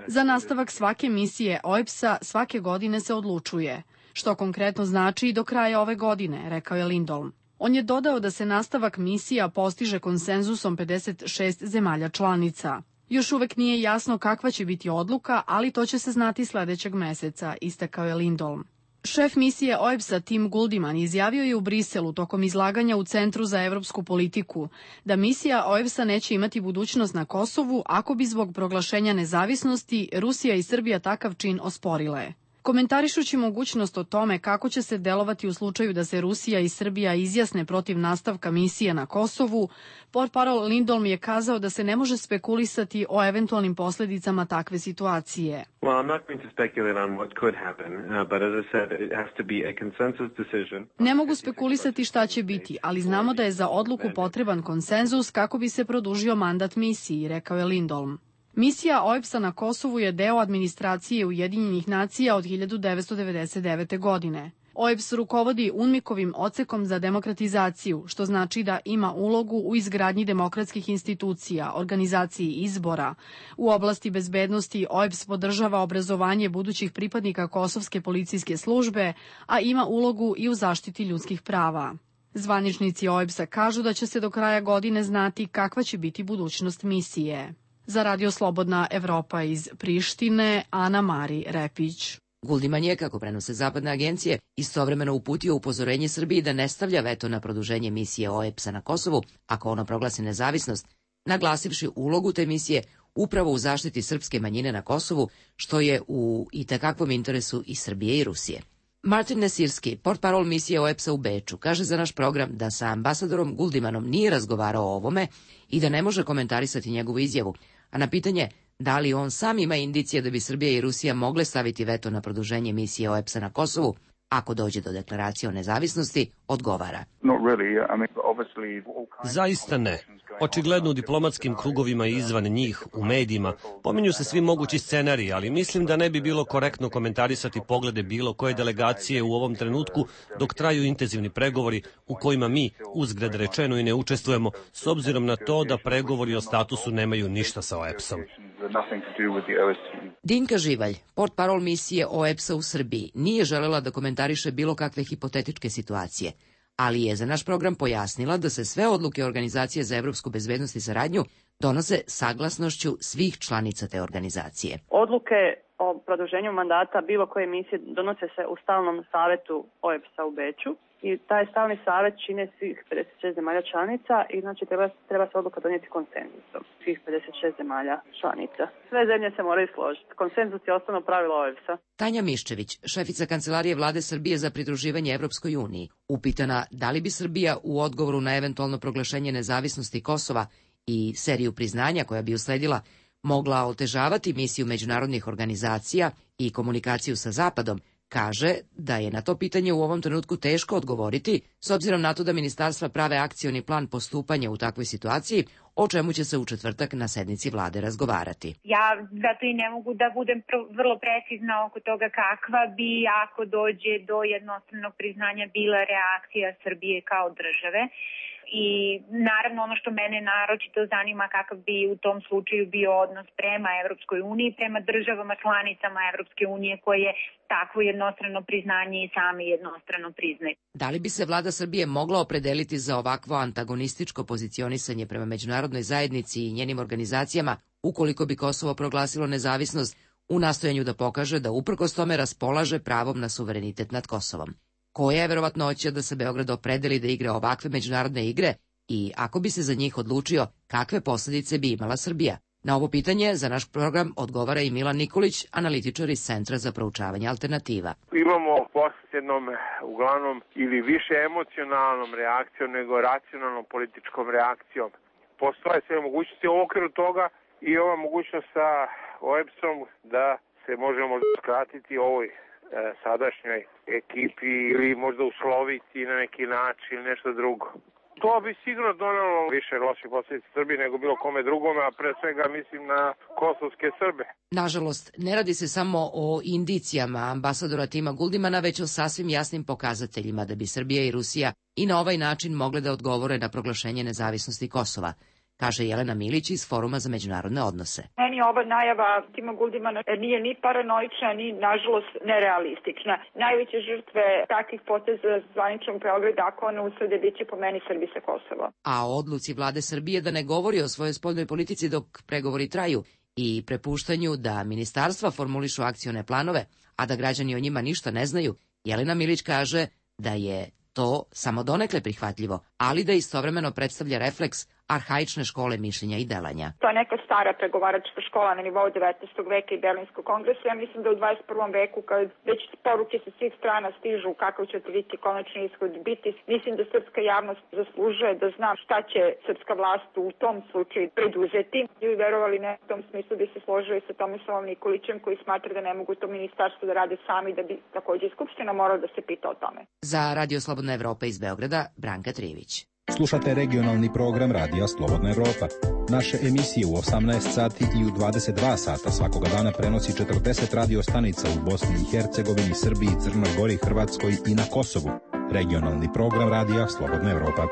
Za nastavak svake misije O E B S-a svake godine se odlučuje, što konkretno znači i do kraja ove godine, rekao je Lindholm. On je dodao da se nastavak misija postiže konsenzusom pedeset šest zemalja članica. Još uvek nije jasno kakva će biti odluka, ali to će se znati sledećeg meseca, istakao je Lindholm. Šef misije O E B S-a Tim Guldiman izjavio je u Briselu tokom izlaganja u Centru za evropsku politiku da misija O E B S-a neće imati budućnost na Kosovu ako bi zbog proglašenja nezavisnosti Rusija i Srbija takav čin osporile. Komentarišući mogućnost o tome kako će se delovati u slučaju da se Rusija i Srbija izjasne protiv nastavka misije na Kosovu, portparol Lindholm je kazao da se ne može spekulisati o eventualnim posljedicama takve situacije. Ne mogu spekulisati šta će biti, ali znamo da je za odluku potreban konsenzus kako bi se produžio mandat misiji, rekao je Lindholm. Misija O E B S-a na Kosovu je deo administracije Ujedinjenih nacija od hiljadu devetsto devedeset devete. godine. O E B S rukovodi UNMIK-ovim odsekom za demokratizaciju, što znači da ima ulogu u izgradnji demokratskih institucija, organizaciji izbora. U oblasti bezbednosti O E B S podržava obrazovanje budućih pripadnika Kosovske policijske službe, a ima ulogu i u zaštiti ljudskih prava. Zvaničnici O E B S-a kažu da će se do kraja godine znati kakva će biti budućnost misije. Za Radio Slobodna Evropa iz Prištine, Ana Mari Repić. Guldiman je, kako prenose zapadne agencije, istovremeno uputio upozorenje Srbiji da ne stavlja veto na produženje misije O E B S-a na Kosovu ako ono proglasi nezavisnost, naglasivši ulogu te misije upravo u zaštiti srpske manjine na Kosovu, što je u itekakvom interesu i Srbije i Rusije. Martin Nesirski, portparol misije O E P S-a u Beču, kaže za naš program da sa ambasadorom Guldimanom nije razgovarao o ovome i da ne može komentarisati njegovu izjavu, a na pitanje da li on sam ima indicije da bi Srbija i Rusija mogle staviti veto na produženje misije O E P S-a na Kosovu, ako dođe do deklaracije o nezavisnosti, odgovara. Zaista ne. Očigledno u diplomatskim krugovima i izvan njih, u medijima, pominju se svi mogući scenariji, ali mislim da ne bi bilo korektno komentarisati poglede bilo koje delegacije u ovom trenutku dok traju intenzivni pregovori u kojima mi, uzgred rečeno, i ne učestvujemo, s obzirom na to da pregovori o statusu nemaju ništa sa O E P S-om. Dinka Živalj, portparol misije O E P S-a u Srbiji, nije želela da komentariše bilo kakve hipotetičke situacije, ali je za naš program pojasnila da se sve odluke Organizacije za evropsku bezbednost i saradnju donose saglasnošću svih članica te organizacije. Odluke o produženju mandata bilo koje misije donose se u stalnom savetu O E P S-a u Beču i taj stalni savet čine svih pedeset šest zemalja članica i znači treba, treba se odluka donijeti konsenzusom svih pedeset šest zemalja članica. Sve zemlje se moraju složiti. Konsenzus je osnovno pravilo O E P S-a. Tanja Miščević, šefica Kancelarije Vlade Srbije za pridruživanje Evropskoj uniji, upitana da li bi Srbija u odgovoru na eventualno proglašenje nezavisnosti Kosova i seriju priznanja koja bi usledila mogla otežavati misiju međunarodnih organizacija i komunikaciju sa Zapadom, kaže da je na to pitanje u ovom trenutku teško odgovoriti, s obzirom na to da ministarstva prave akcioni plan postupanja u takvoj situaciji, o čemu će se u četvrtak na sednici vlade razgovarati. Ja zato i ne mogu da budem vrlo precizna oko toga kakva bi, ako dođe do jednostavnog priznanja, bila reakcija Srbije kao države. I naravno ono što mene naročito zanima kakav bi u tom slučaju bio odnos prema Evropskoj uniji, prema državama članicama Evropske unije koje takvo jednostrano priznanje i sami jednostrano priznaju. Da li bi se vlada Srbije mogla opredeliti za ovakvo antagonističko pozicionisanje prema međunarodnoj zajednici i njenim organizacijama ukoliko bi Kosovo proglasilo nezavisnost u nastojanju da pokaže da uprkos tome raspolaže pravom na suverenitet nad Kosovom? Koja je verovatnoća da se Beograd opredeli da igra ovakve međunarodne igre i ako bi se za njih odlučio, kakve posljedice bi imala Srbija? Na ovo pitanje za naš program odgovara i Milan Nikolić, analitičar iz Centra za proučavanje alternativa. Imamo posljednom uglavnom ili više emocionalnom reakcijom nego racionalnom političkom reakcijom. Postoje sve mogućnosti u okviru toga i ova mogućnost sa O E P S-om da se možemo skratiti ovoj sadašnjoj ekipi ili možda usloviti na neki način ili nešto drugo. To bi sigurno donelo više loših posljedica Srbiji nego bilo kome drugome, a pre svega mislim na kosovske Srbe. Nažalost, ne radi se samo o indicijama ambasadora Tima Guldimana, već o sasvim jasnim pokazateljima da bi Srbija i Rusija i na ovaj način mogle da odgovore na proglašenje nezavisnosti Kosova, kaže Jelena Milić iz Foruma za međunarodne odnose. Meni ova najava Tima Guldimana nije ni paranoična, ni nažalost nerealistična. Najveće žrtve takvih poteza zvaničnog Beograda, ako one uslede, bit će po meni Srbi sa Kosova. A o odluci vlade Srbije da ne govori o svojoj spoljnoj politici dok pregovori traju i prepuštanju da ministarstva formulišu akcione planove, a da građani o njima ništa ne znaju, Jelena Milić kaže da je to samo donekle prihvatljivo, ali da istovremeno predstavlja refleks arhaične škole mišljenja i delanja. To je neka stara pregovaračka škola na nivou devetnaestog veka i Berlinskog kongresa. Ja mislim da u dvadeset prvom veku, kad već poruke sa svih strana stižu kakav će biti konačni ishod biti, mislim da srpska javnost zaslužuje da zna šta će srpska vlast u tom slučaju preduzeti. I verovali ne, u tom smislu bi se složio i sa Tomislavom Nikolićem, koji smatra da ne mogu to ministarstvo da rade sami, da bi takođe i Skupština morala da se pita o tome. Za Radio Slobodna Evropa iz Beograda, Branka Trivić. Slušate regionalni program Radija Slobodna Evropa. Naše emisije u osamnaest sati i u dvadeset dva sata svakoga dana prenosi četrdeset radio stanica u Bosni i Hercegovini, Srbiji, Crnoj Gori, Hrvatskoj i na Kosovu. Regionalni program Radija Slobodna Evropa.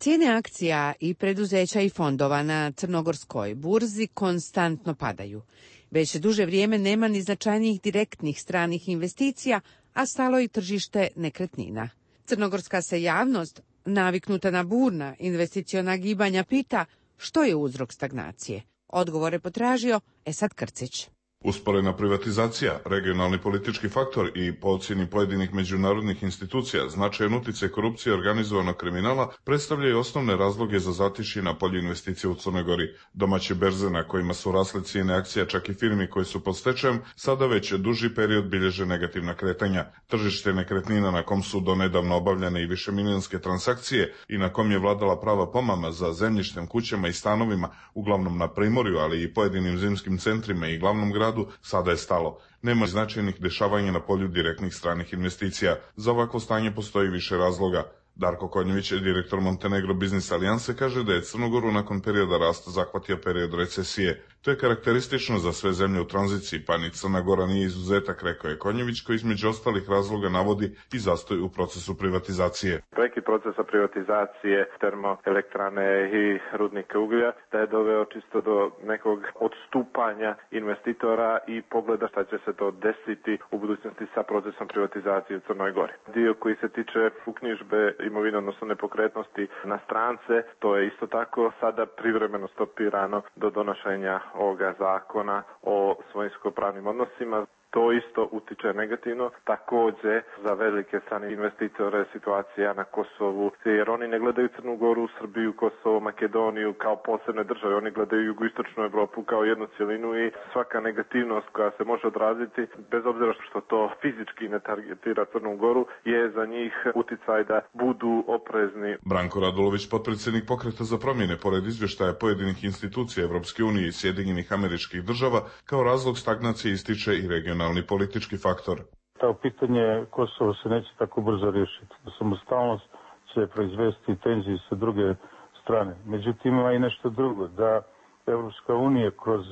Cijene akcija i preduzeća i fondova na crnogorskoj burzi konstantno padaju. Već duže vrijeme nema ni značajnijih direktnih stranih investicija, a stalo i tržište nekretnina. Crnogorska se javnost, naviknuta na burna investiciona gibanja, pita što je uzrok stagnacije. Odgovore potražio Esad Krcić. Usporena privatizacija, regionalni politički faktor i po ocjeni pojedinih međunarodnih institucija značajan utjecaj korupcije i organizovanog kriminala predstavljaju osnovne razloge za zatišje na polju investicija u Crnoj Gori. Domaće berze na kojima su rasle cijene akcija čak i firmi koje su pod stečajem sada već duži period bilježe negativna kretanja. Tržište nekretnina na kom su donedavno obavljane i višemilijonske transakcije i na kom je vladala prava pomama za zemljištem, kućama i stanovima, uglavnom na primorju, ali i pojedinim zimskim centrima i glavnom gradu, sada je stalo. Nema značajnih dešavanja na polju direktnih stranih investicija. Za ovakvo stanje postoji više razloga. Darko Konjević, direktor Montenegro Biznis Alijanse, kaže da je Crnogoru nakon perioda rasta zahvatio period recesije. To je karakteristično za sve zemlje u tranziciji, pa ni Crna Gora nije izuzetak, rekao je Konjević, koji između ostalih razloga navodi i zastoj u procesu privatizacije. Prekid procesa privatizacije termoelektrane i rudnika uglja da je doveo čisto do nekog odstupanja investitora i pogleda šta će se to desiti u budućnosti sa procesom privatizacije u Crnoj Gori. Dio koji se tiče uknjižbe imovine, odnosno nepokretnosti na strance, to je isto tako sada privremeno stopirano do donošenja ovoga zakona o svojinsko-pravnim odnosima. To isto utiče negativno, također za velike strane investitore situacija na Kosovu, jer oni ne gledaju Crnu Goru, Srbiju, Kosovo, Makedoniju kao posebne države, oni gledaju jugoistočnu Evropu kao jednu cjelinu i svaka negativnost koja se može odraziti, bez obzira što to fizički ne targetira Crnu Goru, je za njih uticaj da budu oprezni. Branko Radulović, potpredsjednik Pokreta za promjene, pored izvještaja pojedinih institucija Evropske unije i Sjedinjenih Američkih Država, kao razlog stagnacije ističe i regionalni politički faktor. To pitanje Kosova se neće tako brzo riješiti. Samostalnost će proizvesti tenzije sa druge strane. Međutim, ima i nešto drugo, da Evropska unija kroz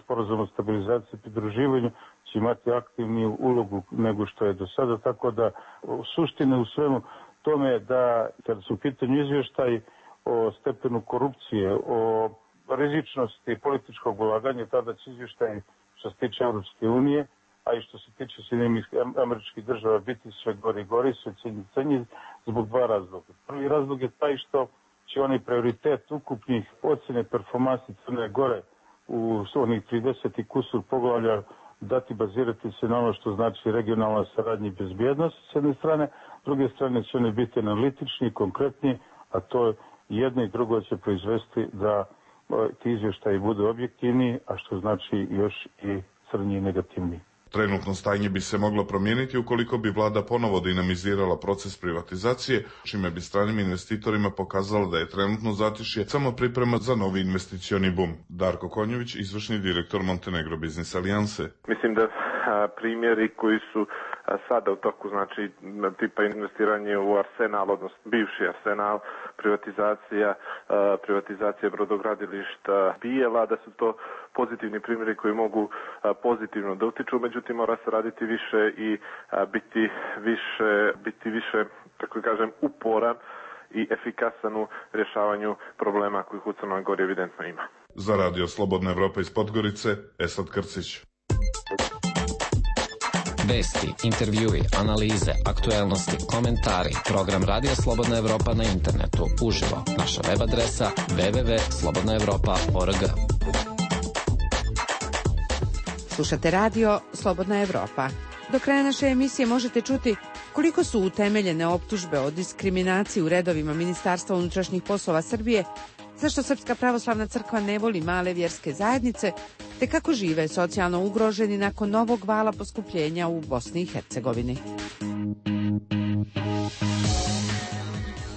sporazum o stabilizaciji i pridruživanju će imati aktivniju ulogu nego što je do sada, tako da suština u svemu tome je da kada su u pitanju izvještaj o stepenu korupcije, o rizičnosti političkog ulaganja, tada će izvještaj što se tiče Evropske unije, a i što se tiče Sjedinjenih Američkih Država biti sve gori i gori, sve cenji zbog dva razloga. Prvi razlog je taj što će onaj prioritet ukupnih ocjene performansi Crne Gore u onih trideset i kusur poglavlja dati bazirati se na ono što znači regionalna saradnja i bezbjednost s jedne strane, s druge strane će oni biti analitični, konkretni, a to jedno i drugo će proizvesti da ti izvještaji budu objektivni, a što znači još i crnji i negativni. Trenutno stanje bi se moglo promijeniti ukoliko bi vlada ponovo dinamizirala proces privatizacije, čime bi stranim investitorima pokazalo da je trenutno zatišje samo priprema za novi investicioni bum. Darko Konjević, izvršni direktor Montenegro Biznis Alijanse. Mislim da a, primjeri koji su a, sada u toku, znači tipa investiranje u Arsenal, odnosno bivši Arsenal, privatizacija, a, privatizacija brodogradilišta Bijela, da su to pozitivni primjeri koji mogu a, pozitivno da utiču, međutim mora se raditi više i a, biti više, biti više, tako kažem, uporan i efikasan u rješavanju problema kojih u Crnoj Gori evidentno ima. Za Radio Slobodna Evropa iz Podgorice, Esad Krcić. Vesti, intervjui, analize, aktuelnosti, komentari, program Radio Slobodna Evropa na internetu, uživo, naša web adresa w w w tačka slobodna evropa tačka org. Slušate radio Slobodna Evropa. Do kraja naše emisije možete čuti koliko su utemeljene optužbe o diskriminaciji u redovima Ministarstva unutrašnjih poslova Srbije, zašto Srpska pravoslavna crkva ne voli male vjerske zajednice, te kako žive socijalno ugroženi nakon novog vala poskupljenja u Bosni i Hercegovini.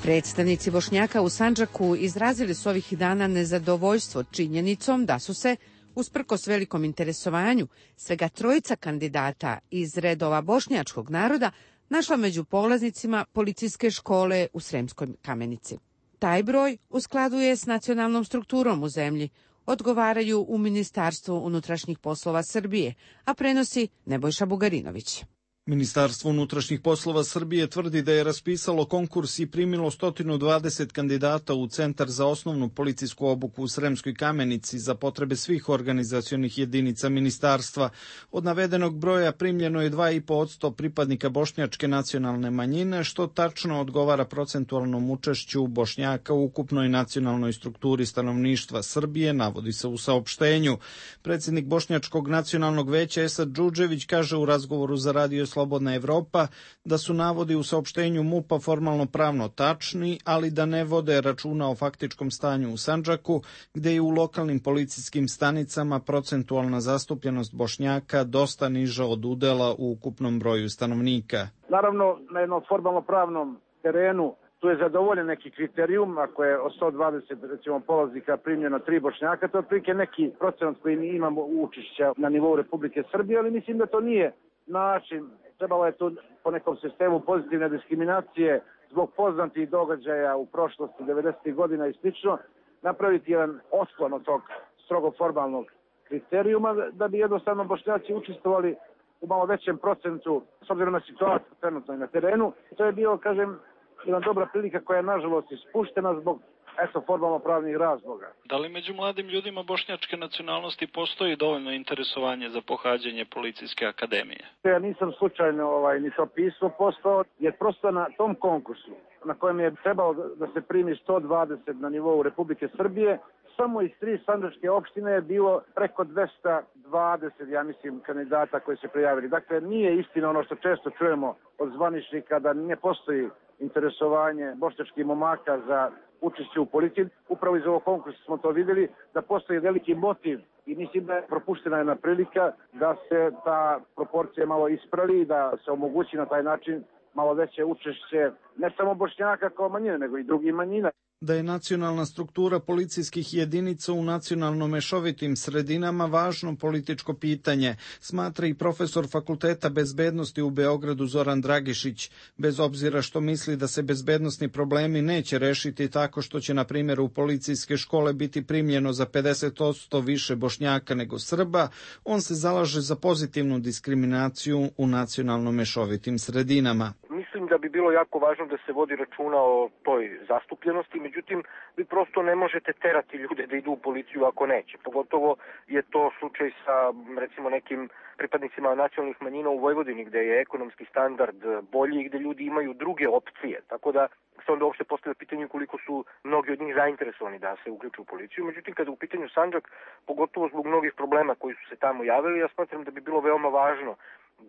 Predstavnici Bošnjaka u Sandžaku izrazili su ovih dana nezadovoljstvo činjenicom da su se, usprkos velikom interesovanju, svega trojica kandidata iz redova bošnjačkog naroda našla među polaznicima policijske škole u Sremskoj Kamenici. Taj broj u skladu je s nacionalnom strukturom u zemlji, odgovaraju u Ministarstvu unutrašnjih poslova Srbije, a prenosi Nebojša Bugarinović. Ministarstvo unutrašnjih poslova Srbije tvrdi da je raspisalo konkurs i primilo sto dvadeset kandidata u Centar za osnovnu policijsku obuku u Sremskoj Kamenici za potrebe svih organizacionih jedinica ministarstva. Od navedenog broja primljeno je dva i po posto pripadnika bošnjačke nacionalne manjine, što tačno odgovara procentualnom učešću Bošnjaka u ukupnoj nacionalnoj strukturi stanovništva Srbije, navodi se u saopštenju. Predsjednik Bošnjačkog nacionalnog veća Esad Džudžević kaže u razgovoru za Radio Slobodna Evropa da su navodi u saopštenju MUP-a formalno pravno tačni, ali da ne vode računa o faktičkom stanju u Sandžaku, gde je u lokalnim policijskim stanicama procentualna zastupljenost Bošnjaka dosta niža od udela u ukupnom broju stanovnika. Naravno, na jednom formalno pravnom terenu tu je zadovoljen neki kriterijum, ako je od sto dvadeset recimo polaznika primljeno tri Bošnjaka, to je otprilike neki procenat koji mi imamo učešća na nivou Republike Srbije, ali mislim da to nije način. Trebalo je tu po nekom sistemu pozitivne diskriminacije zbog poznatih događaja u prošlosti devedesetih godina i slično napraviti jedan otklon od tog strogo formalnog kriterijuma da bi jednostavno Bošnjaci učestvovali u malo većem procentu s obzirom na situaciju trenutno na terenu. To je bio, kažem, jedna dobra prilika koja je nažalost ispuštena zbog eto formalno pravnih razloga. Da li među mladim ljudima bošnjačke nacionalnosti postoji dovoljno interesovanje za pohađanje policijske akademije? Ja nisam slučajno ovaj, ni to pismo postao, jer prosto na tom konkursu na kojem je trebalo da se primi sto dvadeset na nivou Republike Srbije, samo iz tri sandžačke opštine je bilo preko dvesta dvadeset, ja mislim, kandidata koji se prijavili. Dakle, nije istina ono što često čujemo od zvaničnika da ne postoji interesovanje bošnjačkih momaka za učešće u policiji. Upravo iz ovog konkursa smo to vidjeli, da postoji veliki motiv i mislim da je propuštena jedna prilika da se ta proporcija malo ispravi, da se omogući na taj način malo veće učešće ne samo Bošnjaka kao manjine, nego i drugih manjina. Da je nacionalna struktura policijskih jedinica u nacionalno mešovitim sredinama važno političko pitanje, smatra i profesor Fakulteta bezbednosti u Beogradu Zoran Dragišić, bez obzira što misli da se bezbednosni problemi neće rešiti tako što će, na primjer, u policijske škole biti primljeno za pedeset posto više Bošnjaka nego Srba, on se zalaže za pozitivnu diskriminaciju u nacionalno mešovitim sredinama. Mislim da bi bilo jako važno da se vodi računa o toj zastupljenosti, međutim, vi prosto ne možete terati ljude da idu u policiju ako neće. Pogotovo je to slučaj sa, recimo, nekim pripadnicima nacionalnih manjina u Vojvodini, gde je ekonomski standard bolji i gde ljudi imaju druge opcije. Tako da se onda uopšte postavlja pitanje koliko su mnogi od njih zainteresovani da se uključu u policiju. Međutim, kada je u pitanju Sandžak, pogotovo zbog mnogih problema koji su se tamo javili, ja smatram da bi bilo veoma važno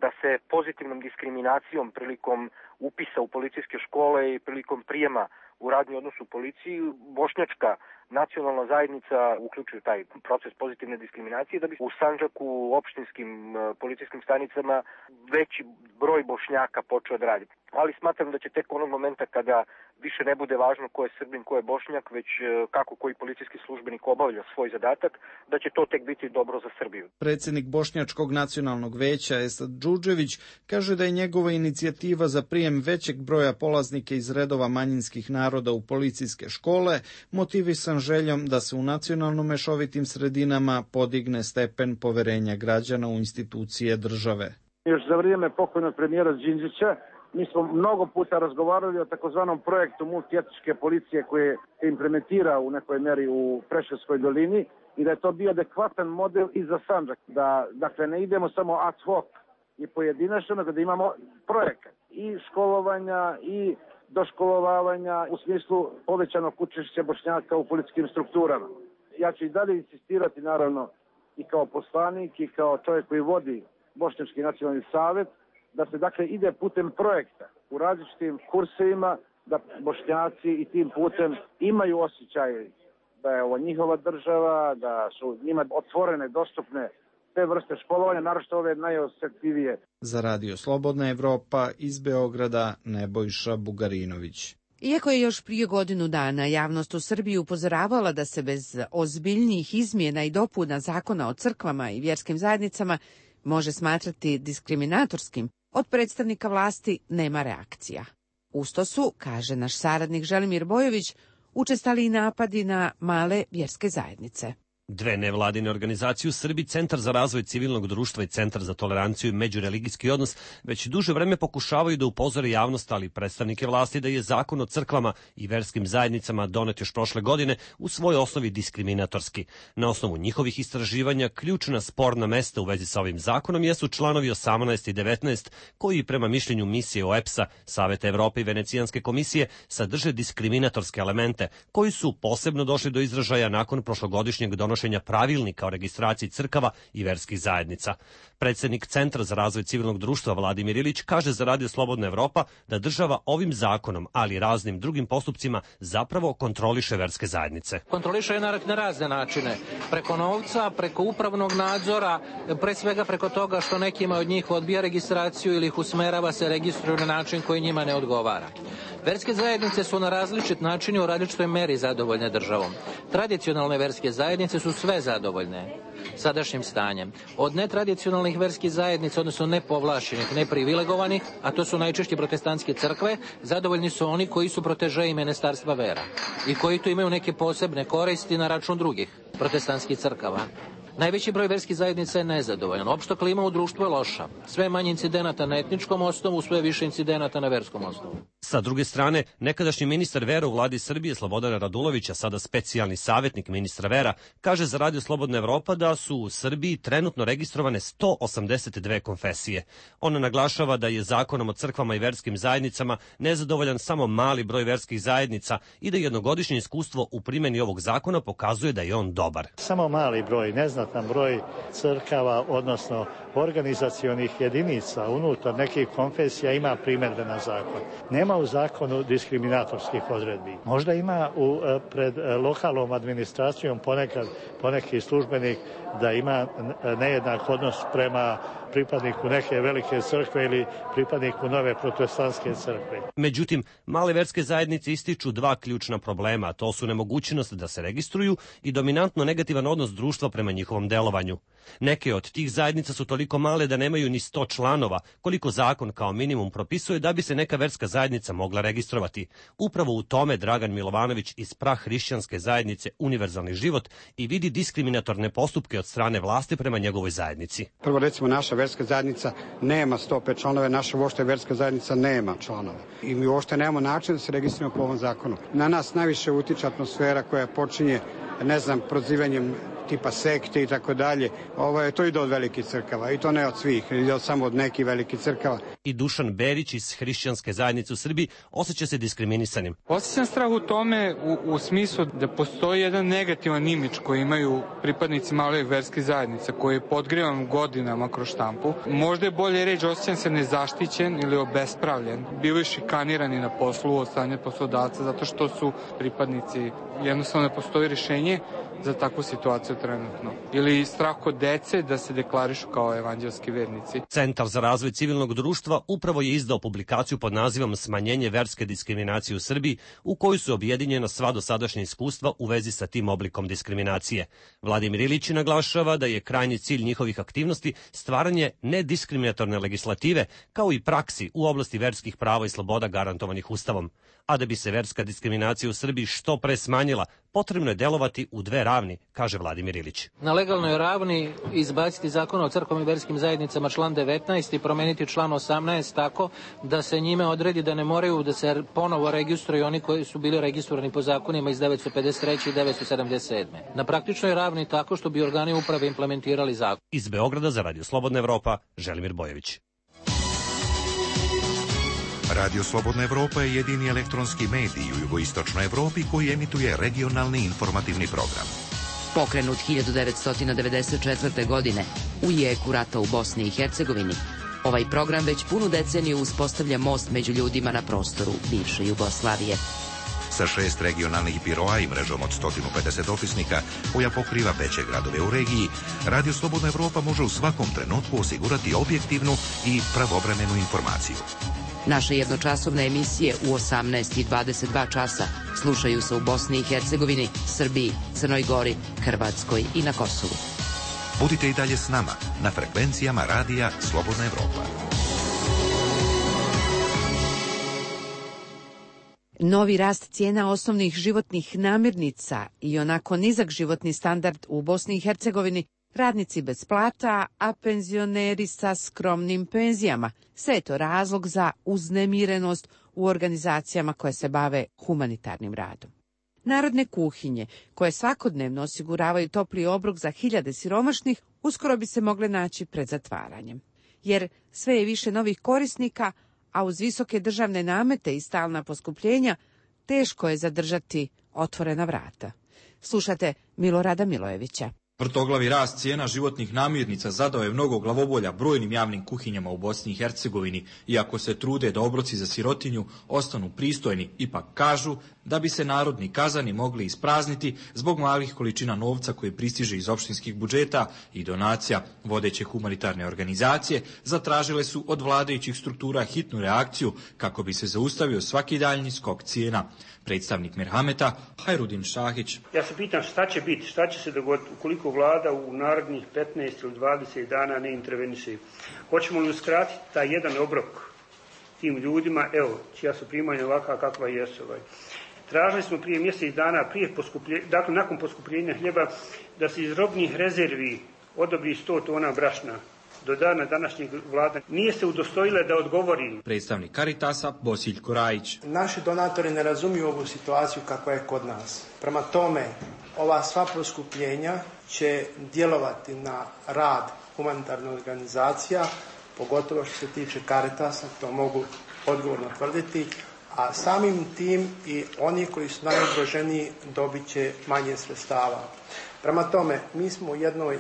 da se pozitivnom diskriminacijom prilikom upisa u policijske škole i prilikom prijema u radni odnos u policiji bošnjačka nacionalna zajednica uključuje taj proces pozitivne diskriminacije da bi u Sandžaku u opštinskim policijskim stanicama veći broj Bošnjaka počeo da radi. Ali smatram da će tek onog momenta kada više ne bude važno ko je Srbin, ko je Bošnjak, već kako koji policijski službenik obavlja svoj zadatak, da će to tek biti dobro za Srbiju. Predsjednik Bošnjačkog nacionalnog veća Esad Džudžević kaže da je njegova inicijativa za prijem većeg broja polaznika iz redova manjinskih naroda u policijske škole motivisan željom da se u nacionalno mešovitim sredinama podigne stepen poverenja građana u institucije države. Još za vrijeme pokojnog premijera Đinđića mi smo mnogo puta razgovarali o takozvanom projektu multietničke policije koje se implementira u nekoj meri u Preševskoj dolini i da je to bio adekvatan model i za Sandžak. Da, dakle, ne idemo samo ad hoc i pojedinačno, nego da imamo projekat i školovanja i doškolovavanja u smislu povećanog učešća Bošnjaka u policijskim strukturama. Ja ću i dalje insistirati, naravno, i kao poslanik i kao čovjek koji vodi Bošnjački nacionalni savet, da se dakle ide putem projekta u različitim kursevima, da Bošnjaci i tim putem imaju osjećaj da je ovo njihova država, da su njima otvorene, dostupne te vrste školovanja, naročito ove najosjetljivije. Za Radio Slobodna Evropa iz Beograda Nebojša Bugarinović. Iako je još prije godinu dana javnost u Srbiji upozoravala da se bez ozbiljnijih izmjena i dopuna zakona o crkvama i vjerskim zajednicama može smatrati diskriminatorskim, od predstavnika vlasti nema reakcija. Usto su, kaže naš saradnik Želimir Bojović, učestali i napadi na male vjerske zajednice. Dve nevladine organizacije u Srbiji, Centar za razvoj civilnog društva i Centar za toleranciju i međureligijski odnos, već duže vreme pokušavaju da upozore javnost, ali i predstavnike vlasti, da je zakon o crkvama i verskim zajednicama donet još prošle godine u svojoj osnovi diskriminatorski. Na osnovu njihovih istraživanja, ključna sporna mesta u vezi sa ovim zakonom jesu članovi osamnaest i devetnaest, koji prema mišljenju misije O E P S-a, Saveta Evrope i Venecijanske komisije sadrže diskriminatorske elemente, koji su posebno došli do izražaja nakon prošlogodišnjeg donošenja pravilnika o registraciji crkava i verskih zajednica. Predsjednik Centra za razvoj civilnog društva Vladimir Ilić kaže za Radio Slobodna Evropa da država ovim zakonom, ali i raznim drugim postupcima, zapravo kontroliše verske zajednice. Kontroliše na, na razne načine. Preko novca, preko upravnog nadzora, pre svega preko toga što nekima od njih odbija registraciju ili ih usmerava se registruju na način koji njima ne odgovara. Verske zajednice su na različit način i u različitoj meri zadovoljne državom. Tradicionalne verske zajednice su sve zadovoljne sadašnjim stanjem. Od netradicionalnih verskih zajednica, odnosno nepovlašenih, neprivilegovanih, a to su najčešće protestantske crkve, zadovoljni su oni koji su protežeji ministarstva vera i koji tu imaju neke posebne koristi na račun drugih protestantskih crkava. Najveći broj verskih zajednica je nezadovoljan. Opšta klima u društvu je loša. Sve manje incidenata na etničkom osnovu, sve više incidenata na verskom osnovu. Sa druge strane, nekadašnji ministar vera u vladi Srbije Slobodan Radulović, a sada specijalni savjetnik ministra vera, kaže za Radio Slobodna Evropa da su u Srbiji trenutno registrovane sto osamdeset dve konfesije. On naglašava da je zakonom o crkvama i verskim zajednicama nezadovoljan samo mali broj verskih zajednica i da jednogodišnje iskustvo u primjeni ovog zakona pokazuje da je on dobar. Samo mali broj, neznatan broj crkava, odnosno organizacionih jedinica unutar nekih konfesija ima primjedbe na zakon. Nema u zakonu diskriminatorskih odredbi. Možda ima u, pred lokalnom administracijom ponekad poneki službenik da ima nejednak odnos prema pripadniku neke velike crkve ili pripadniku nove protestantske crkve. Međutim, male verske zajednice ističu dva ključna problema, to su nemogućnost da se registruju i dominantno negativan odnos društva prema njihovom delovanju. Neke od tih zajednica su toliko male da nemaju ni sto članova, koliko zakon kao minimum propisuje da bi se neka verska zajednica mogla registrovati. Upravo u tome Dragan Milovanović iz prahrišćanske zajednice Univerzalni život i vidi diskriminatorne postupke od strane vlasti prema njegovoj zajednici. Prvo, recimo, naša verska zajednica nema sto pet članove, naša uopšte verska zajednica nema članova. I mi uopšte nemamo način da se registrujemo po ovom zakonu. Na nas najviše utiče atmosfera koja počinje, ne znam, prozivanjem tipa sekte i tako dalje. Ovo je to ide od velikih crkava i to ne od svih, ide od samo od nekih velikih crkava. I Dušan Berić iz hrišćanske zajednice u Srbiji osjeća se diskriminisanim. Osjećam strah u tome u, u smislu da postoji jedan negativan imidž koji imaju pripadnici malih verskih zajednica koji je podgrivan godinama kroz štampu. Možda je bolje reći osjećam se nezaštićen ili obespravljen. Bili šikanirani na poslu od strane poslodavca zato što su pripadnici. Jednostavno ne postoji rješenje za takvu situaciju trenutno. Ili strah kod dece da se deklarišu kao evanđelski vernici. Centar za razvoj civilnog društva upravo je izdao publikaciju pod nazivom Smanjenje verske diskriminacije u Srbiji, u kojoj su objedinjena sva dosadašnja iskustva u vezi sa tim oblikom diskriminacije. Vladimir Ilić naglašava da je krajnji cilj njihovih aktivnosti stvaranje nediskriminatorne legislative, kao i praksi u oblasti verskih prava i sloboda garantovanih Ustavom. A da bi se verska diskriminacija u Srbiji što pre smanjila, potrebno je delovati u dve ravni, kaže Vladimir Ilić. Na legalnoj ravni izbaciti zakon o crkvama i verskim zajednicama član devetnaest i promeniti član osamnaest tako da se njime odredi da ne moraju da se ponovo registruju oni koji su bili registrovani po zakonima iz devetsto pedeset treće i devetsto sedamdeset sedme. Na praktičnoj ravni tako što bi organi uprave implementirali zakon. Iz Beograda za Radio Slobodna Evropa, Želimir Bojević. Radio Slobodna Evropa je jedini elektronski medij u jugoistočnoj Evropi koji emituje regionalni informativni program. Pokrenut hiljadu devetsto devedeset četvrte. godine u jeku rata u Bosni i Hercegovini, ovaj program već punu deceniju uspostavlja most među ljudima na prostoru bivše Jugoslavije. Sa šest regionalnih biroa i mrežom od sto pedeset opisnika koja pokriva veće gradove u regiji, Radio Slobodna Evropa može u svakom trenutku osigurati objektivnu i pravovremenu informaciju. Naše jednočasovne emisije u osamnaest i dvadeset dva časa slušaju se u Bosni i Hercegovini, Srbiji, Crnoj Gori, Hrvatskoj i na Kosovu. Budite i dalje s nama na frekvencijama Radija Slobodna Evropa. Novi rast cijena osnovnih životnih namirnica i onako nizak životni standard u Bosni i Hercegovini, radnici bez plata, a penzioneri sa skromnim penzijama. Sve je to razlog za uznemirenost u organizacijama koje se bave humanitarnim radom. Narodne kuhinje, koje svakodnevno osiguravaju topli obrok za hiljade siromašnih, uskoro bi se mogle naći pred zatvaranjem. Jer sve je više novih korisnika, a uz visoke državne namete i stalna poskupljenja, teško je zadržati otvorena vrata. Slušate Milorada Milojevića. Vrtoglavi rast cijena životnih namirnica zadao je mnogo glavobolja brojnim javnim kuhinjama u Bosni i Hercegovini, iako se trude da obroci za sirotinju ostanu pristojni, ipak kažu da bi se narodni kazani mogli isprazniti zbog malih količina novca koje pristiže iz opštinskih budžeta i donacija. Vodeće humanitarne organizacije zatražile su od vladajućih struktura hitnu reakciju kako bi se zaustavio svaki daljnji skok cijena. Predstavnik Merhameta, Hajrudin Šahić. Ja se pitam šta će biti, šta će se dogoditi ukoliko vlada u narednih petnaest ili dvadeset dana ne interveniše. Hoćemo li uskratiti taj jedan obrok tim ljudima, evo, čija su primanja ovakva kakva jesu. Ovaj. Tražili smo prije mjesec dana, prije poskupljenja, dakle nakon poskupljenja hljeba, da se iz robnih rezervi odobri sto tona brašna. Do dana današnjeg vlada nije se udostojila da odgovori. Predstavnik Caritasa, Bosiljko Rajić. Naši donatori ne razumiju ovu situaciju kakva je kod nas. Prema tome, ova sva poskupljenja će djelovati na rad humanitarnih organizacija, pogotovo što se tiče Caritasa, to mogu odgovorno tvrditi, a samim tim i oni koji su najugroženiji dobit će manje sredstava. Prema tome, mi smo u jednoj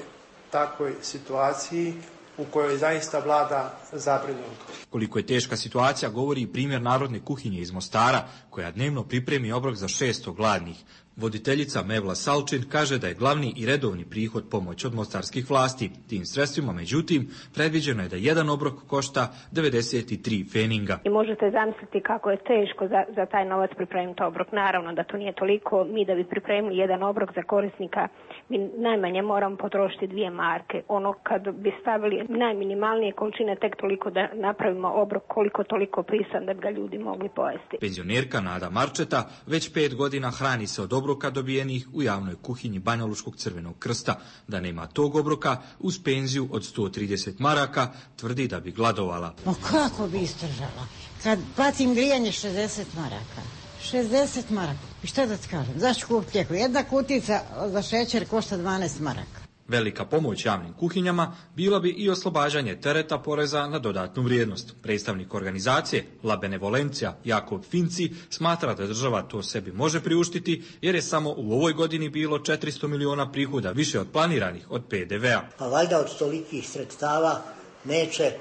takvoj situaciji u kojoj zaista vlada zabrinutost. Koliko je teška situacija govori i primjer Narodne kuhinje iz Mostara, koja dnevno pripremi obrok za šesto gladnih. Voditeljica Mevla Salčin kaže da je glavni i redovni prihod pomoć od mostarskih vlasti. Tim sredstvima, međutim, predviđeno je da jedan obrok košta devedeset tri feninga. I možete zamisliti kako je teško za, za taj novac pripremiti obrok. Naravno da to nije toliko. Mi da bi pripremili jedan obrok za korisnika, mi najmanje moramo potrošiti dvije marke. Ono kad bi stavili najminimalnije količine, tek toliko da napravimo obrok koliko toliko pisan da bi ga ljudi mogli pojesti. Penzionerka Nada Marčeta već pet godina hrani se od obroka dobijenih u javnoj kuhinji Banjalučkog Crvenog krsta. Da nema tog obroka, uz penziju od sto trideset maraka, tvrdi da bi gladovala. Ma kako bi izdržala? Kad platim grijanje šezdeset maraka. šezdeset maraka. I šta da ti kažem? Zašto kupiti lijeko? Jedna kutica za šećer košta dvanaest maraka. Velika pomoć javnim kuhinjama bila bi i oslobađanje tereta poreza na dodatnu vrijednost. Predstavnik organizacije La Benevolencija Jakob Finci smatra da država to sebi može priuštiti jer je samo u ovoj godini bilo četiristo miliona prihoda više od planiranih od pe de vea. Pa valjda od tolikih sredstava neće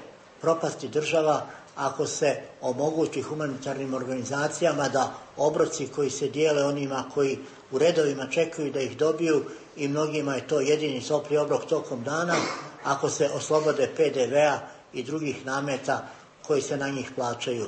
propasti država ako se omogući humanitarnim organizacijama da obroci koji se dijele onima koji u redovima čekaju da ih dobiju i mnogima je to jedini topli obrok tokom dana, ako se oslobode pe de vea i drugih nameta koji se na njih plaćaju.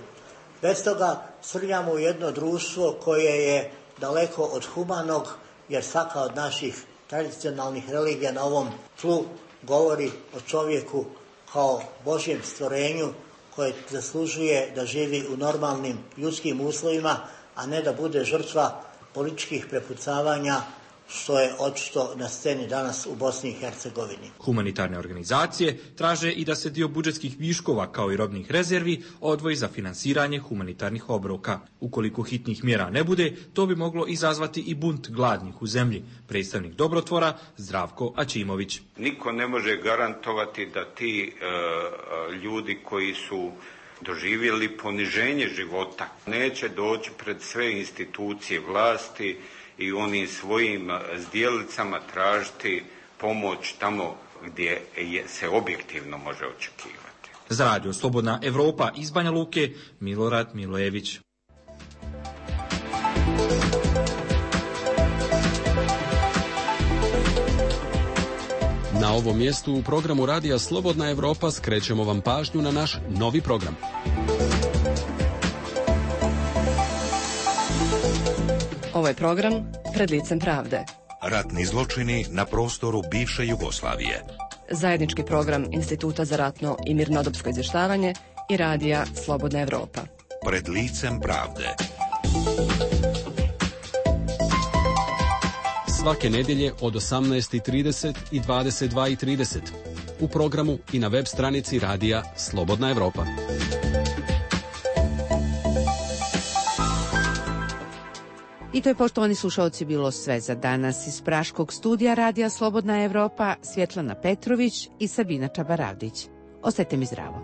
Bez toga srljamo u jedno društvo koje je daleko od humanog, jer svaka od naših tradicionalnih religija na ovom tlu govori o čovjeku kao Božjem stvorenju koje zaslužuje da živi u normalnim ljudskim uslovima, a ne da bude žrtva političkih prepucavanja, što je očito na sceni danas u Bosni i Hercegovini. Humanitarne organizacije traže i da se dio budžetskih viškova kao i robnih rezervi odvoji za finansiranje humanitarnih obroka. Ukoliko hitnih mjera ne bude, to bi moglo izazvati i bunt gladnih u zemlji. Predstavnik Dobrotvora Zdravko Ačimović. Niko ne može garantovati da ti e, ljudi koji su doživjeli poniženje života neće doći pred sve institucije vlasti i onim svojim zdjelicama tražiti pomoć tamo gdje je, se objektivno može očekivati. Za Radio Slobodna Evropa iz Banja Luke, Milorad Milojević. Na ovom mjestu u programu Radija Slobodna Evropa skrećemo vam pažnju na naš novi program. Ovo je program Pred licem pravde. Ratni zločini na prostoru bivše Jugoslavije. Zajednički program Instituta za ratno i mirnodopsko izvještavanje i Radija Slobodna Evropa. Pred licem pravde. svake nedjelje od osamnaest i trideset i dvadeset dva i trideset. U programu i na web stranici radija Slobodna Evropa. I to je, poštovani slušalci, bilo sve za danas. Iz praškog studija radija Slobodna Evropa, Svjetlana Petrović i Sabina Čabaravdić. Ostajte mi zdravo.